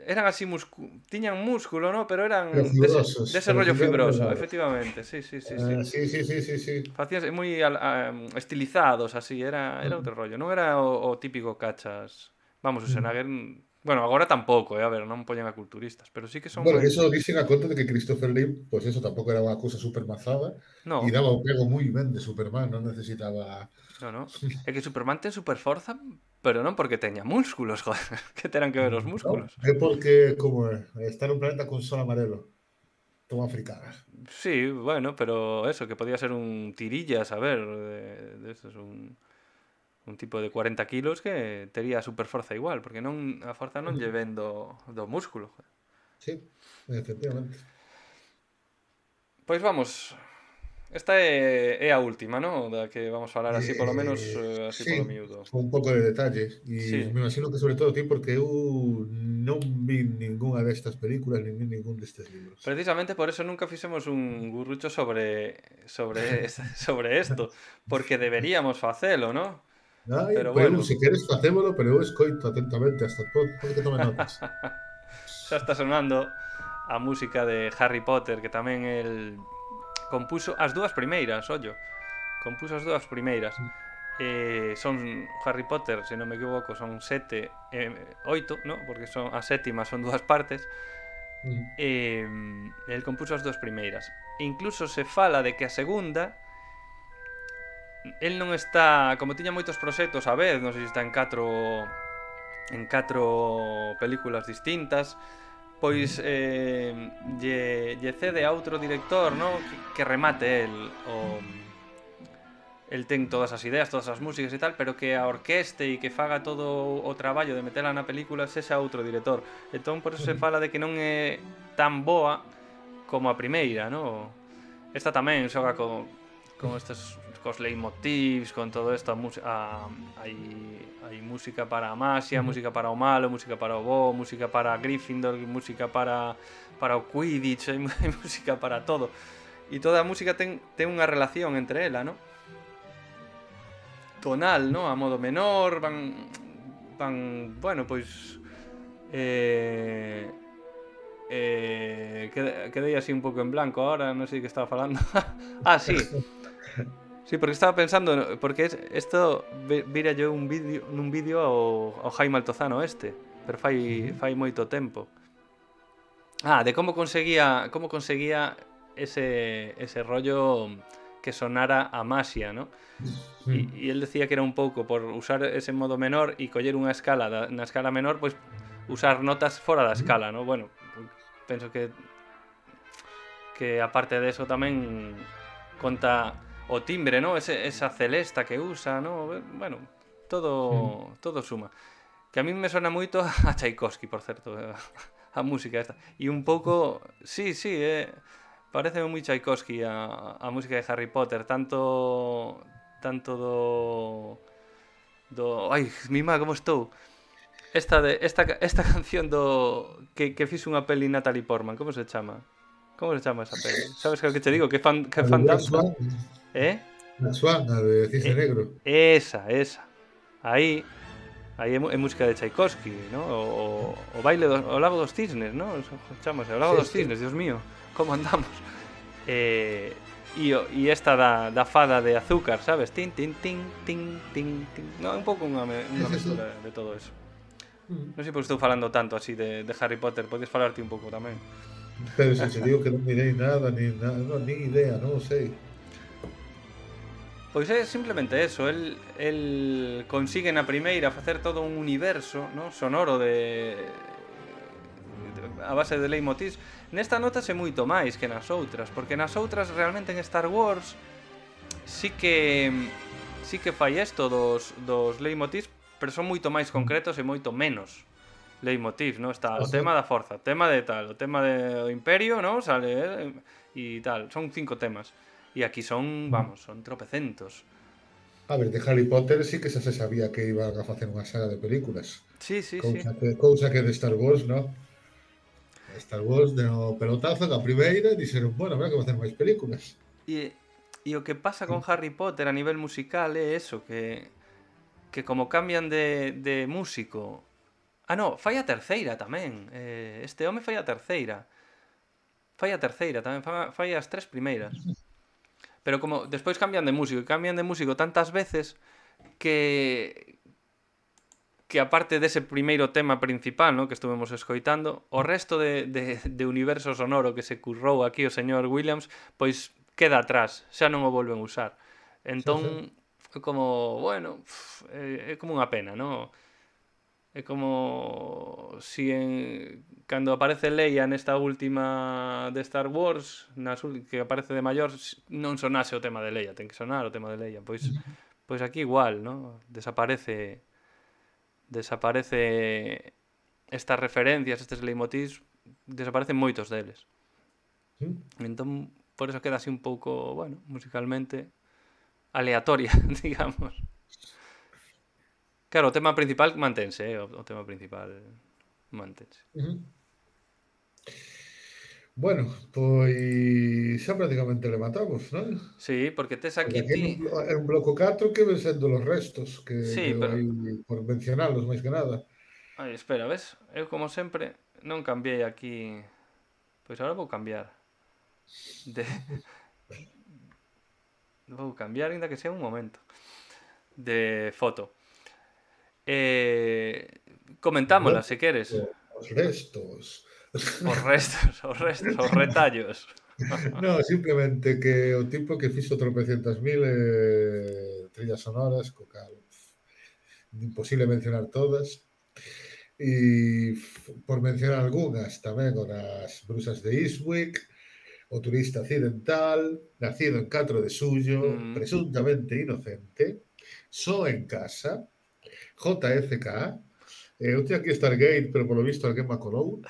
eran así muscu... tiñan músculo, ¿no? Pero eran Pero dese, fibrosos, dese pero rollo fibrosos fibroso, delgados. efectivamente, sí, sí, sí, sí. Ah, sí, sí, sí, sí, sí. Facíanse moi al- a- estilizados así, era era outro rollo, non era o, o típico cachas Vamos, o Schwarzenegger... Bueno, agora tampouco, eh? A ver, non poñen a culturistas, pero sí que son Bueno, máis... eso dicen a conta de que Christopher Lee, pues eso tampouco era unha cousa super mazada e No, daba o pego moi ben de Superman, non necesitaba... no, no. É que Superman ten super forza, pero non porque teña músculos, joder. Que terán que ver os Non, músculos? é porque, como é, está nun planeta con sol amarelo, toma africanas. Sí, bueno, pero eso, que podía ser un tirillas, a ver, de, de esos, un, un tipo de cuarenta kilos que tería super forza igual, porque non a forza non lle ven do, do músculo. Joder. Sí, efectivamente. Pois vamos, esta é, é a última, ¿no? Da que vamos falar así polo menos, Eh, eh, así polo sí, miúdo. con un pouco de detalle. E Sí, me imagino que sobre todo ti, porque eu non vi ningunha destas películas, nin vi ningún destes libros. precisamente por eso nunca fixemos un gurrucho sobre sobre sobre esto, porque deberíamos facelo, ¿no? Ai, Pero pero eu, bueno, se queres, facémolo, pero eu escoito atentamente hasta todo, todo que tome notas. xa está sonando a música de Harry Potter, que tamén el compuso as dúas primeiras, ollo. Compuso as dúas primeiras. Eh, son Harry Potter, se non me equivoco, son sete, eh, oito, ¿no? Porque son a sétima son dúas partes. Mm. Eh, el compuso as dúas primeiras. E incluso se fala de que a segunda el non está, como tiña moitos proxectos a vez, non sei se está en catro en catro películas distintas, pois eh, lle, lle cede a outro director, no? que, que remate el o el ten todas as ideas, todas as músicas e tal, pero que a orqueste e que faga todo o traballo de metela na película sexa outro director. Entón por eso se fala de que non é tan boa como a primeira, no? Esta tamén xoga con con estes cos leitmotivs, con todo isto, a, a, hai, hai música para a Masia, música para o malo, música para o bo, música para Gryffindor, música para para o Quidditch, hai, hai música para todo. E toda a música ten, ten unha relación entre ela, ¿no? Tonal, ¿no? A modo menor, van van, bueno, pois eh eh quedei así un pouco en blanco ahora, non sei que estaba falando. Ah, sí. Sí, porque estaba pensando, porque isto vira yo un vídeo nun vídeo ao, ao Jaime Altozano este, pero fai fai moito tempo. Ah, de como conseguía como conseguía ese ese rollo que sonara a Masia, ¿no? E, e el decía que era un pouco por usar ese modo menor e coller unha escala da, na escala menor, pois usar notas fora da escala, ¿no? Bueno, penso que que aparte de eso tamén conta o timbre, ¿no? Ese, esa celesta que usa, ¿no? Bueno, todo todo suma. Que a mí me suena moito a Tchaikovsky, por certo, a música esta. E un pouco, sí, sí, eh, parece moi Tchaikovsky a, a música de Harry Potter, tanto tanto do do, ai, mima, como estou. Esta de esta esta canción do que que fixo unha peli Natalie Portman, como se chama? Como se chama esa peli? Sabes que o que te digo, que fan que fan danza? Eh? La Swan, a de Cisne Eh, Negro. esa, esa. Aí aí é, é música de Tchaikovsky, ¿no? O, o, o baile do o Lago dos Cisnes, ¿no? Chámase, o Lago Sí, dos sí. Cisnes, Dios mío, como andamos. Eh, e, e esta da, da fada de azúcar, sabes? Tin, tin, tin, tin, tin, tin. No, un pouco unha, unha mestura de todo eso. Non sei por que estou falando tanto así de, de Harry Potter, podes falarte un pouco tamén. Pero se te digo que non mirei nada, ni, nada, no, ni idea, non sei. Pois é simplemente eso, el, el consigue na primeira facer todo un universo, ¿no? Sonoro de, de a base de leitmotivs. Nesta notase moito máis que nas outras, porque nas outras realmente en Star Wars sí que sí que fai isto dos, dos leitmotivs, pero son moito máis concretos e moito menos leitmotivs, ¿no? Está o tema da forza, o tema de tal, o tema do imperio, ¿no? Sale eh, e tal, son cinco temas. E aquí son, vamos, son tropecentos. A ver, de Harry Potter sí que xa se sabía que iban a facer unha saga de películas. Sí, sí, cousa sí. Que, cousa que de Star Wars, no? Star Wars, no pelotazo, da primeira, dixeron, bueno, habrá que facer máis películas. E, e o que pasa con Harry Potter a nivel musical é eso, que que como cambian de, de músico... Ah, no, fai a terceira tamén. Eh, este home fai a terceira. Fai a terceira tamén, fai, fai as tres primeiras. Pero como despois cambian de músico, e cambian de músico tantas veces que que aparte dese primeiro tema principal, ¿no?, que estuvemos escoitando, o resto de, de, de universo sonoro que se currou aquí o señor Williams, pois queda atrás, xa non o volven usar. Sí, sí. Entón, é como, bueno, é, é como unha pena, ¿no? É como si en cando aparece Leia nesta última de Star Wars, nas que aparece de maior, non sonase o tema de Leia, ten que sonar o tema de Leia. Pois pois aquí igual, ¿no? Desaparece desaparece estas referencias, estes leitmotivs, desaparecen moitos deles. Mm. Entón, por eso queda así un pouco, bueno, musicalmente aleatoria, digamos. Claro, o tema principal mantense, eh? o, o tema principal mantense. Uh-huh. Bueno, pois xa prácticamente le matamos, non? Sí, porque tes Porque aquí aquí ti... en un bloco catro que ven sendo los restos, que Sí, quedou pero... aí por mencionalos máis que nada. Ai, espera, ves? Eu, como sempre, non cambiei aquí... Pois agora vou cambiar. De... Vou cambiar, ainda que sea un momento. De foto. Eh... Comentámola, Bloco, se queres. os restos. Os restos, os restos, os retallos. No, simplemente que o tipo que fixo tropecientas mil eh, trillas sonoras, co cal imposible mencionar todas. E por mencionar algunhas tamén o das Brusas de Eastwick, o turista occidental, nacido en catro de suyo, Mm. presuntamente inocente, só en casa, J F K, eh, eu teño aquí Stargate, pero polo visto alguén me acolou.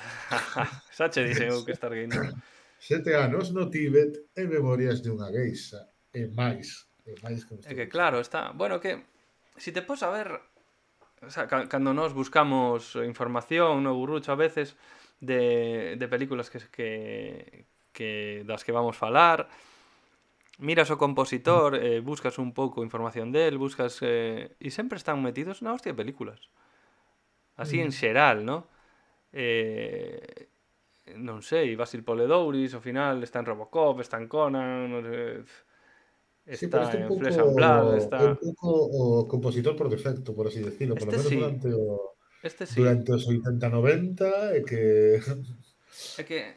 Xa che dixen eu que Stargate non. Sete anos no Tíbet e Memorias de unha geisha. E máis. E máis que É que claro, está... Bueno, que... Si te pos a ver... O sea, cando nos buscamos información no Gurrucho a veces de, de películas que, que, que das que vamos falar, miras o compositor, eh, buscas un pouco información del, buscas... Eh, e sempre están metidos na hostia de películas. Así en xeral, ¿no? Eh... Non sei, Basil Poledouris, ao final está en Robocop, está en Conan, non sei, sí, pero está este un en pouco Flesh and Blood, é un está... pouco o compositor por defecto, por así decirlo, por lo Este menos sí, durante o este sí. durante os oitenta noventa e que É que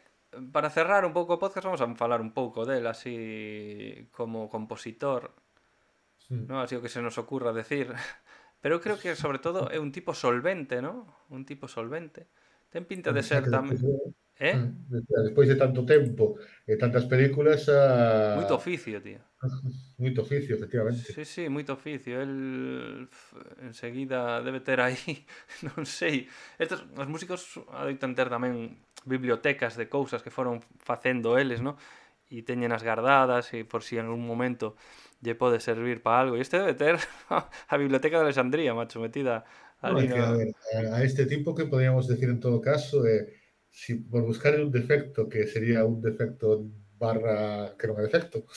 para cerrar un pouco o podcast vamos a falar un pouco del así como compositor, mm. ¿no? Así o que se nos ocurra decir. Pero eu creo que sobre todo é un tipo solvente, ¿no? Un tipo solvente. Ten pinta de O sea, ser que tamén... despois, Eh? despois de tanto tempo e tantas películas Moito a oficio, tío. moito oficio, efectivamente. Sí, sí, moito oficio. El enseguida debe ter aí, non sei. Estos, os músicos adoitan ter tamén bibliotecas de cousas que foron facendo eles, ¿no? E teñen as guardadas e por si en algún momento lle pode servir para algo. E este debe ter a biblioteca de Alexandría, macho, metida No, ali é que, a no... ver, a, a este tipo que podríamos decir en todo caso é, eh, si por buscar un defecto que sería un defecto barra que non é defecto,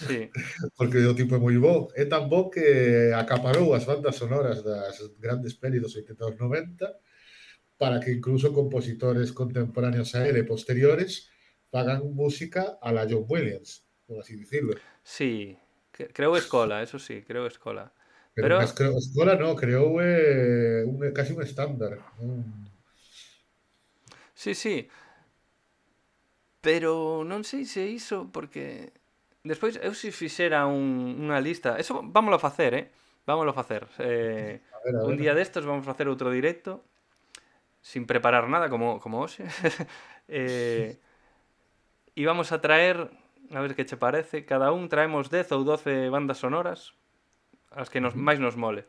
Sí. porque o tipo é moi bo, é tan bo que acaparou as bandas sonoras das grandes pelis dos oitenta e noventa para que incluso compositores contemporáneos a ele posteriores fagan música a la John Williams, por así decirlo. Sí, creo escola, eso sí, creo escola. Pero, Pero... mas creo, escola no, creou eh, un, casi un estándar. Un... Sí, sí. Pero non sei se iso, porque... Despois, eu se fixera un, unha lista... Eso vámoslo a facer, eh? Vámoslo a facer. Eh, a ver, a un ver. día destos vamos a facer outro directo, sin preparar nada, como, como hoxe. eh, e vamos a traer... A ver que che parece. Cada un traemos dez ou doce bandas sonoras, as que nos, máis nos mole.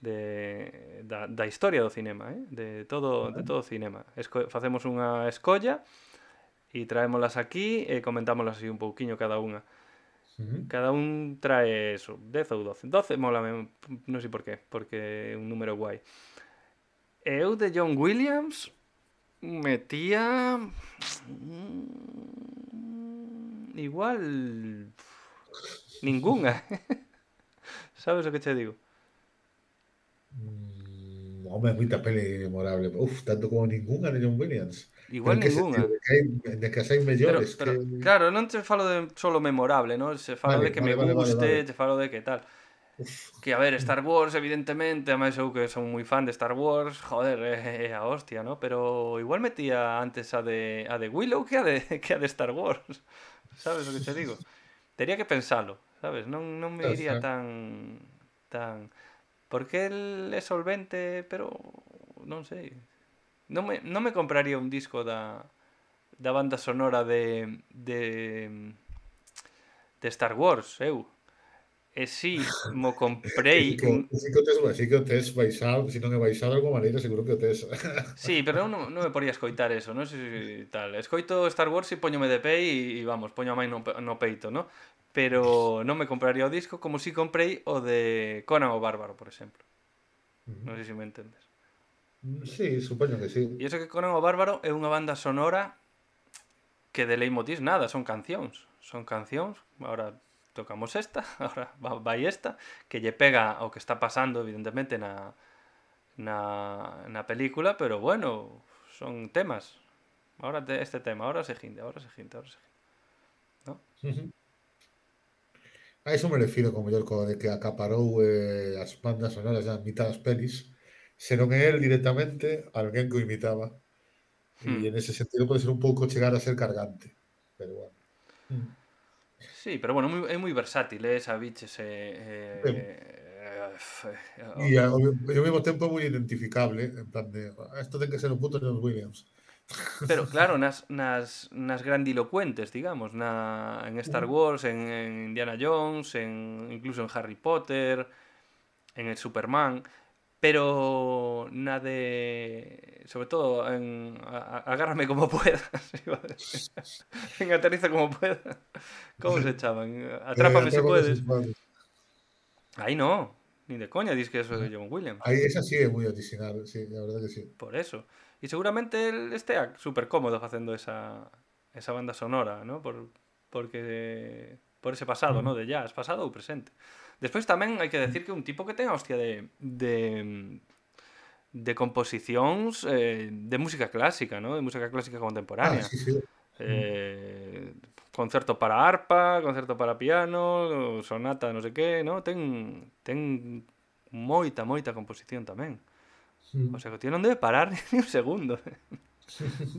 De, da, da historia do cinema, eh? De todo, de todo o cinema. Esco, facemos unha escolla e traémolas aquí e comentámolas así un pouquiño cada unha. Uh-huh. Cada un trae eso, dez ou doce. doce mola, non sei por qué, porque é un número guai. E eu de John Williams metía... Igual... Ninguna. Sabes o que che digo? Mm, home, moita peli memorable. Uf, tanto como ninguna de John Williams. Igual Pero que ninguna. sentido? De que, hai, de que as hai mellores. Pero, pero que... claro, non te falo de solo memorable, ¿no? Se falo Vale, de que vale, me vale, vale, guste, vale. te falo de que tal. Uf, Que, a ver, Star Wars, evidentemente, además eu que son moi fan de Star Wars, joder, é, é a hostia, ¿no? Pero igual metía antes a de, a de Willow que a de, que a de Star Wars. Sabes o que te digo? Tería que pensalo, sabes? Non, non me o iría sea, tan... tan... Porque el é solvente, pero... non sei. Non me, non me compraría un disco da, da banda sonora de, de, de Star Wars, eu. E si, mo que sí comprei que, en... que sí que o tes, sí que o tes baixado, se non é baixado de alguma maneira, seguro que o tes. Sí, pero eu non, non me poría escoitar eso, non sei se tal. Escoito Star Wars e poñome de pé e, e vamos, poño a mai no, pe- no peito, ¿no? Pero non me compraría o disco como si comprei o de Conan o Bárbaro, por exemplo. Non sei se me entendes. Sí, supoño que sí. E iso que Conan o Bárbaro é unha banda sonora que de leitmotiv nada, son cancións. Son cancións, ahora tocamos esta, ahora va- vai esta, que lle pega ao que está pasando, evidentemente, na, na, na película, pero bueno, son temas. Ahora te, este tema, ahora se seguinte, ahora se seguinte, ahora se seguinte, ¿no? Ujú. A iso me refiro como mellor co de que acaparou eh, as bandas sonoras da mitad das pelis, se non é el directamente, alguén que o imitaba. E Hmm. en ese sentido pode ser un pouco chegar a ser cargante. Pero bueno. Mm. Sí, pero bueno, moi, é moi versátil, eh, esa biches Ben, eh, eh, eh, e oh, ao, e ao mesmo tempo moi identificable, en plan de, "Ah, isto ten que ser o puto John Williams." pero claro, nas, nas, nas grandilocuentes, digamos, na, en Star Ujú. Wars, en, en Indiana Jones, en, incluso en Harry Potter, en el Superman, pero na de... Sobre todo en a- a- Agárrame como puedas, iba a decir. En Aterriza como puedas. ¿Cómo se echaban? Eh, Atrápame si Atrápame se puedes. podes. Ahí no, ni de coña dis que eso de John Williams. Aí esa sí é moi original, sí, a verdade que sí. Por eso. Y seguramente él estea súper cómodo haciendo esa, esa banda sonora, ¿no? Por, porque por ese pasado, Ujú. ¿no? De jazz, pasado ou presente. Despois tamén hai que decir que un tipo que ten a hostia de, de, de composicións eh, de música clásica, ¿no? De música clásica Ah, contemporánea. sí, sí. Mm. Eh, concerto para arpa, concerto para piano, sonata non sei que, ¿no? Ten, ten moita, moita composición tamén. O Mm. sea que o tío non debe parar ni un segundo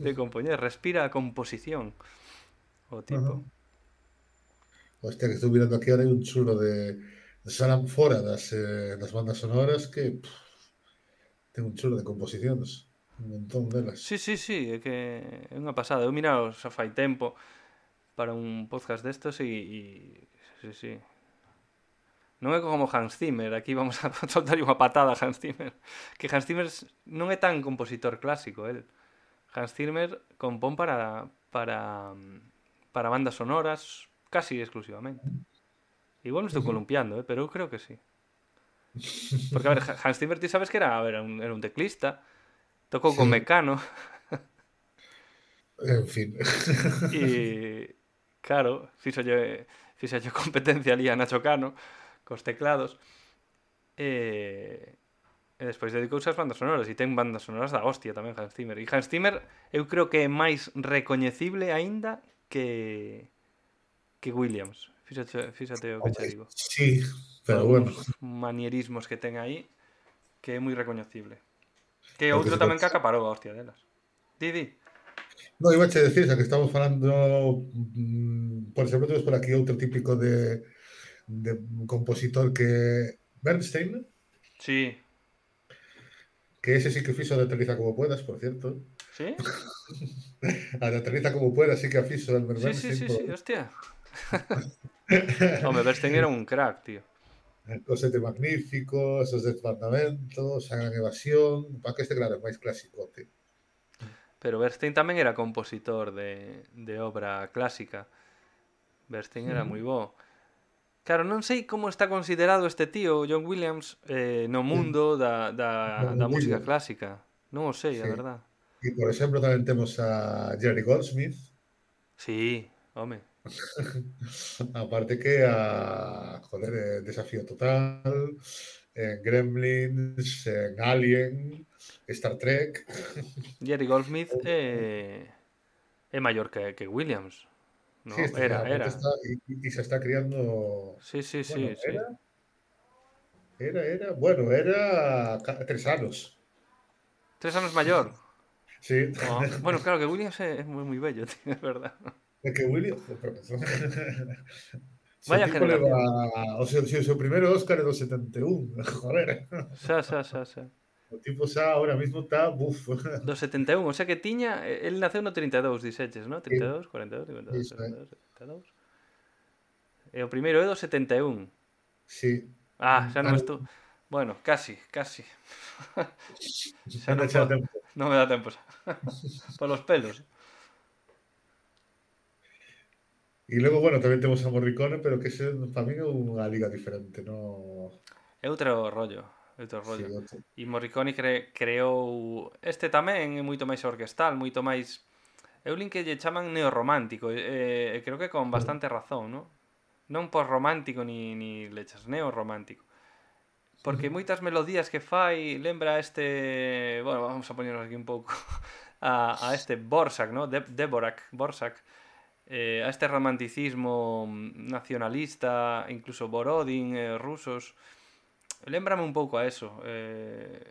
de compoñer, respira a composición o tipo. Ajá. Hostia, que estou mirando aquí, ahora hai un chulo de, de Salam fora das, eh, das bandas sonoras que pff, ten un chulo de composicións, un montón delas. Sí, sí, sí, é que é unha pasada. Eu mirado xa fai tempo para un podcast destos e, e sí, sí. Non é como Hans Zimmer, aquí vamos a soltar unha patada a Hans Zimmer. Que Hans Zimmer non é tan compositor clásico, el. Hans Zimmer compón para para para bandas sonoras casi exclusivamente. Igual me estou Ujú. columpiando, eh, pero eu creo que sí. Porque, a ver, Hans Zimmer, ti sabes que era, a ver, un, era un teclista, tocou con Sí, Mecano, en fin. e, claro, fixolle, fixolle competencia ali a Nacho Cano, cos teclados, e, e despois dedicouse ás bandas sonoras, e ten bandas sonoras da hostia tamén Hans Zimmer. E Hans Zimmer eu creo que é máis recoñecible aínda que, que Williams. Fíxate, fíxate o que che Hombre, digo. sí, Por pero bueno, algúns manierismos que ten aí, que é moi recoñecible. Que porque outro se tamén que conta. acaparou a hostia delas. Di, di. No, iba a che decir, xa que estamos falando, mm, por exemplo, temos por aquí outro típico de, de compositor que Bernstein, Sí. que ese sí que fixo de Aterriza como puedas, por cierto. ¿Sí? A de Aterriza como puedas sí que a fixo Elmer Sí, sí, Bernstein, sí, por sí, hostia. Home, Bernstein era un crack, tío. Os Sete Magníficos, os Desbandamentos, a Gran Evasión, para que este claro é máis clásico, tío. Pero Bernstein tamén era compositor de, de obra clásica. Bernstein era moi bo. Claro, non sei como está considerado este tío, John Williams, eh, no mundo da, da, No da música mundillo, clásica. Non o sei, a sí. verdad. E, por exemplo, tamén temos a Jerry Goldsmith, Sí, home. aparte que a, joder, eh, Desafío Total, en Gremlins, en Alien, Star Trek. Jerry Goldsmith é, é maior que, que Williams, Sí, ¿no? este, Era, aparte era. está, y, y se está criando, Sí, sí, bueno, sí, sí. era, Era, era, bueno, era ca- tres anos. Tres anos maior. Sí, Oh, bueno, claro que Williams é, é moi, moi bello, tío, é verdad. é que William, pero, se o Vaya tipo leva generación. o seu, o seu primeiro Óscar é do setenta e un, joder. Xa, xa, xa, xa. O tipo xa ahora mismo está buf. Do setenta e un, o sea que tiña... El naceu no trinta e dous, dixeches, no? Sí, trinta e dous, cuarenta e dous, cincuenta e dous, iso sesenta é. e dous, setenta e dous. E o primeiro é do setenta e un. Sí. Ah, xa non Anda, estou... Bueno, casi, casi. Xa anda non xa podo... tempo. Non me dá tempo xa. Polos pelos. E logo, bueno, tamén temos a Morricone, pero que ese para min é unha liga diferente, no. É outro rollo, é outro Sí, rollo. outro. E Morricone cre, creou... Este tamén é moito máis orquestal, moito máis... Eu lin que lle chaman neorromántico, e, e creo que con bastante razón, non? Non post-romántico ni, ni lechas, neorromántico. Porque moitas melodías que fai lembra a este... Bueno, vamos a poñernos aquí un pouco a, a este Borsak, ¿no? De, Dvorak, Borsak. Eh, a este romanticismo nacionalista, incluso Borodin, eh, rusos. Lembrame un pouco a eso. Eh,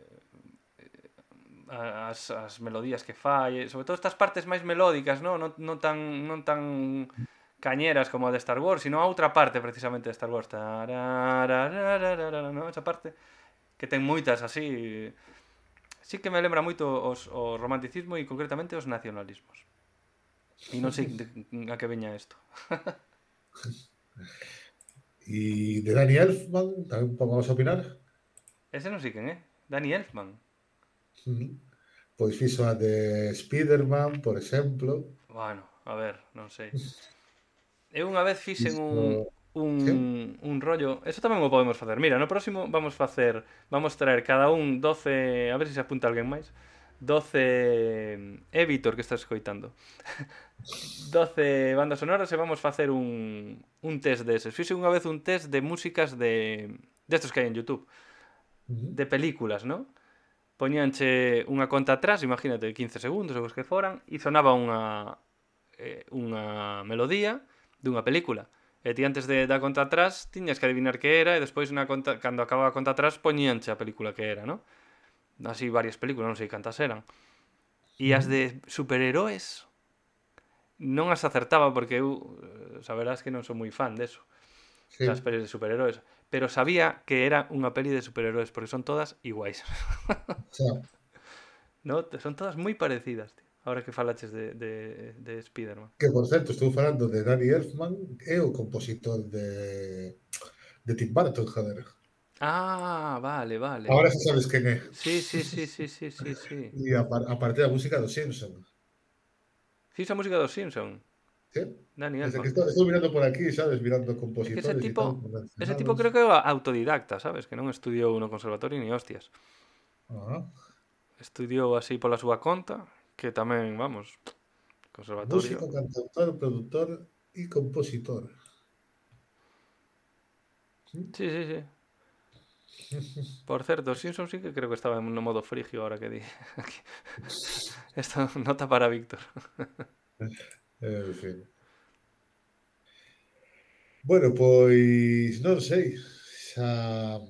as, as melodías que fai, sobre todo estas partes máis melódicas, non, non, non tan non tan cañeras como a de Star Wars, sino a outra parte precisamente de Star Wars. Tarararararara, no? Esa parte que ten moitas así. Sí que me lembra moito os, o romanticismo e concretamente os nacionalismos. E non sei de, a que veña isto. E de Danny Elfman, tamén vamos a opinar. Ese non sei quen é. Danny Elfman. Uh-huh. Pois fixo a de Spiderman, por exemplo. Bueno, a ver, non sei. Eu unha vez fixen un, Fixo... un, Sí? un rollo... Eso tamén o podemos facer. Mira, no próximo vamos facer... Vamos traer cada un doce... A ver se se apunta alguén máis. doce... É Vítor que estás escoitando. doce bandas sonoras e vamos facer un, un test deses. Fixe unha vez un test de músicas de... Destos que hai en YouTube. Uh-huh. De películas, non? Poñíanche unha conta atrás, imagínate, quince segundos ou os que foran, e sonaba unha, eh, unha melodía dunha película. E ti antes de dar conta atrás tiñas que adivinar que era e despois na conta, cando acababa a conta atrás poñíanche a película que era, non? Así varias películas, non sei cantas eran. E as de superheróis non as acertaba porque eu, saberás que non sou moi fan deso, Sí. das pelis de superheróis, pero sabía que era unha peli de superheróis porque son todas iguais. O sea, No, son todas moi parecidas, tío. Ahora que falaches de, de, de Spider-Man. que por certo, estou falando de Danny Elfman, é o compositor de de Tim Burton, joder. Ah, vale, vale. Ahora xa sabes quen é. Sí, sí, sí, sí, sí, sí, sí. E a, par, a parte da música dos Simpson. Fixo a música dos Simpson. Sí? Dani Desde que Elfman. estou, estou mirando por aquí, sabes, mirando É que ese compositores e tipo, tal, ese tipo mencionados. creo que é autodidacta, sabes? Que non estudiou no conservatorio ni hostias. Ajá. Estudiou así pola súa conta, que tamén, vamos, conservatorio. Músico, cantautor, productor e compositor. Sí, sí, sí. Por certo, Simpson sí que creo que estaba no modo frigio ahora que di. Aquí. Esto nota para Víctor. En fin. Bueno, pois non sei. Xa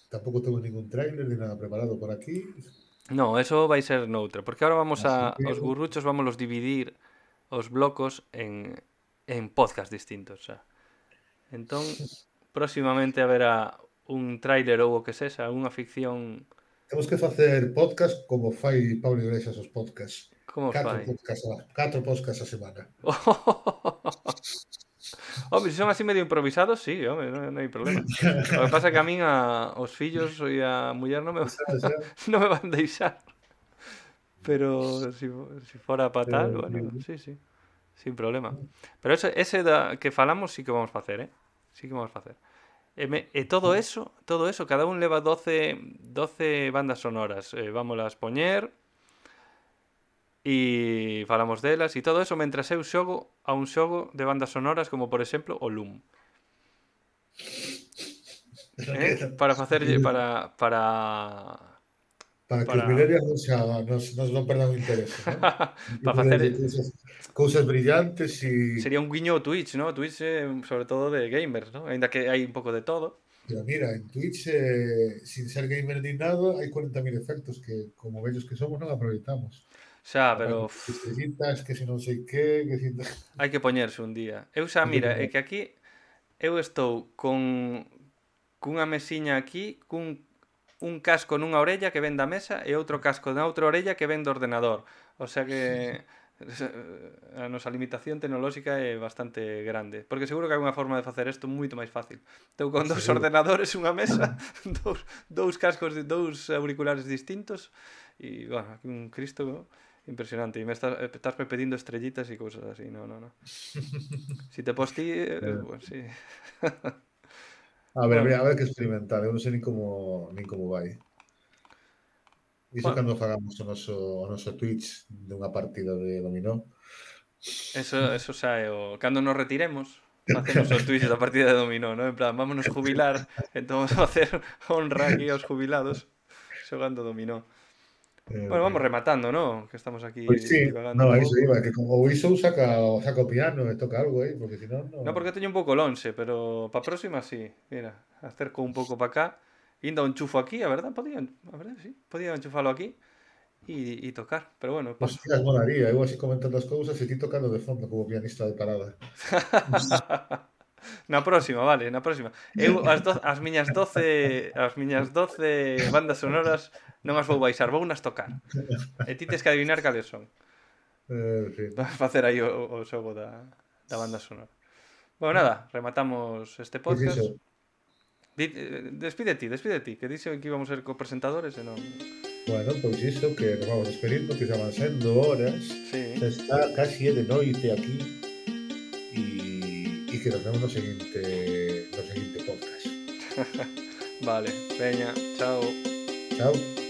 tampouco temos ningún tráiler ni nada preparado por aquí. No, eso vai ser noutra, porque ahora vamos Así a que... os gurruchos vamos los dividir os blocos en en podcast distintos, xa. Entón, próximamente haberá un tráiler ou o que sexa, unha ficción. Temos que facer podcast como fai Pablo Iglesias os podcasts. Como Catro fai? podcasts, a, catro podcasts a semana. Home, se son así medio improvisados, sí, home, non, non hai problema. O que pasa é que a min a, os fillos e a muller non me, Xa, xa. non me van deixar. Pero si, si fora para tal, Eh, bueno, sí, sí, sin problema. Pero ese, ese da, que falamos sí que vamos a facer, eh? Sí que vamos a facer. E, me, e todo eso, todo eso, cada un leva doce, doce bandas sonoras. Eh, vámolas poñer e falamos delas e todo eso mentras eu xogo a un xogo de bandas sonoras como por exemplo o Loom. Eh? Para facerlle para para Para que para os millennials non, xa, nos, nos non perdan o interese, ¿no? para facer cousas, cousas brillantes e... sería un guiño ao Twitch, ¿no? Twitch é sobre todo de gamers, ¿no? Ainda que hai un pouco de todo. Pero mira, en Twitch, eh, sin ser gamer ni nada, hai cuarenta mil efectos que, como vellos que somos, non aproveitamos. Xa, Aparte pero de uf, estrellitas, que si non sei que, que si... hai que poñerse un día. Eu xa, Hai que mira, é poner. que aquí eu estou con cunha mesiña aquí, cun un casco nunha orella que ven da mesa e outro casco na outra orella que ven do ordenador. O sea que a nosa limitación tecnolóxica é bastante grande. Porque seguro que hai unha forma de facer isto moito máis fácil. Estou con dous Seguro. ordenadores, unha mesa, dous, dous cascos, de dous auriculares distintos e, bueno, aquí un Cristo impresionante. E me estás, estás pedindo estrellitas e cousas así. No, no, no. Si te posti, eh, Eh, pues sí. a ver, Bueno, habría, haber que experimentar. Eu non sei nin como, nin como vai. Iso bueno, cando fagamos o noso, o noso Twitch dunha partida de dominó. eso, eso xa é o... Cando nos retiremos, facemos o Twitch da partida de dominó, ¿no? En plan, vámonos jubilar, entón vamos a facer honra aquí aos jubilados xogando dominó. Eh, Bueno, vamos rematando, ¿no? Que estamos aquí pois sí, divagando no, un a iso pouco. iba, que como o Iso saca, saca o piano e toca algo aí, porque si non, No, non... porque teño un pouco lonxe, pero pa próxima sí. Mira, acerco un pouco para cá. Inda o enchufo aquí, a verdad, podía, a verdad, sí. Podía enchufalo aquí e, e tocar, pero bueno, paso. Hostias, molaría, eu así comentando as cousas e ti tocando de fondo como pianista de parada. Na próxima, vale, na próxima. Eu as, do, as miñas doce as miñas doce bandas sonoras non as vou baixar, vou nas tocar. E ti tes que adivinar cales son. Eh, en fin. Vas facer aí o, o xogo da, da banda sonora. Bueno, nada, rematamos este Pois iso, podcast. Di, eh, despide ti, despide ti, que dixo que íbamos a ser copresentadores e non... bueno, pois iso, que nos vamos despedindo, que xa van sendo horas, Sí, xa está casi é de noite aquí, e, e que nos vemos no seguinte, no seguinte podcast. vale, veña, chao. Chao.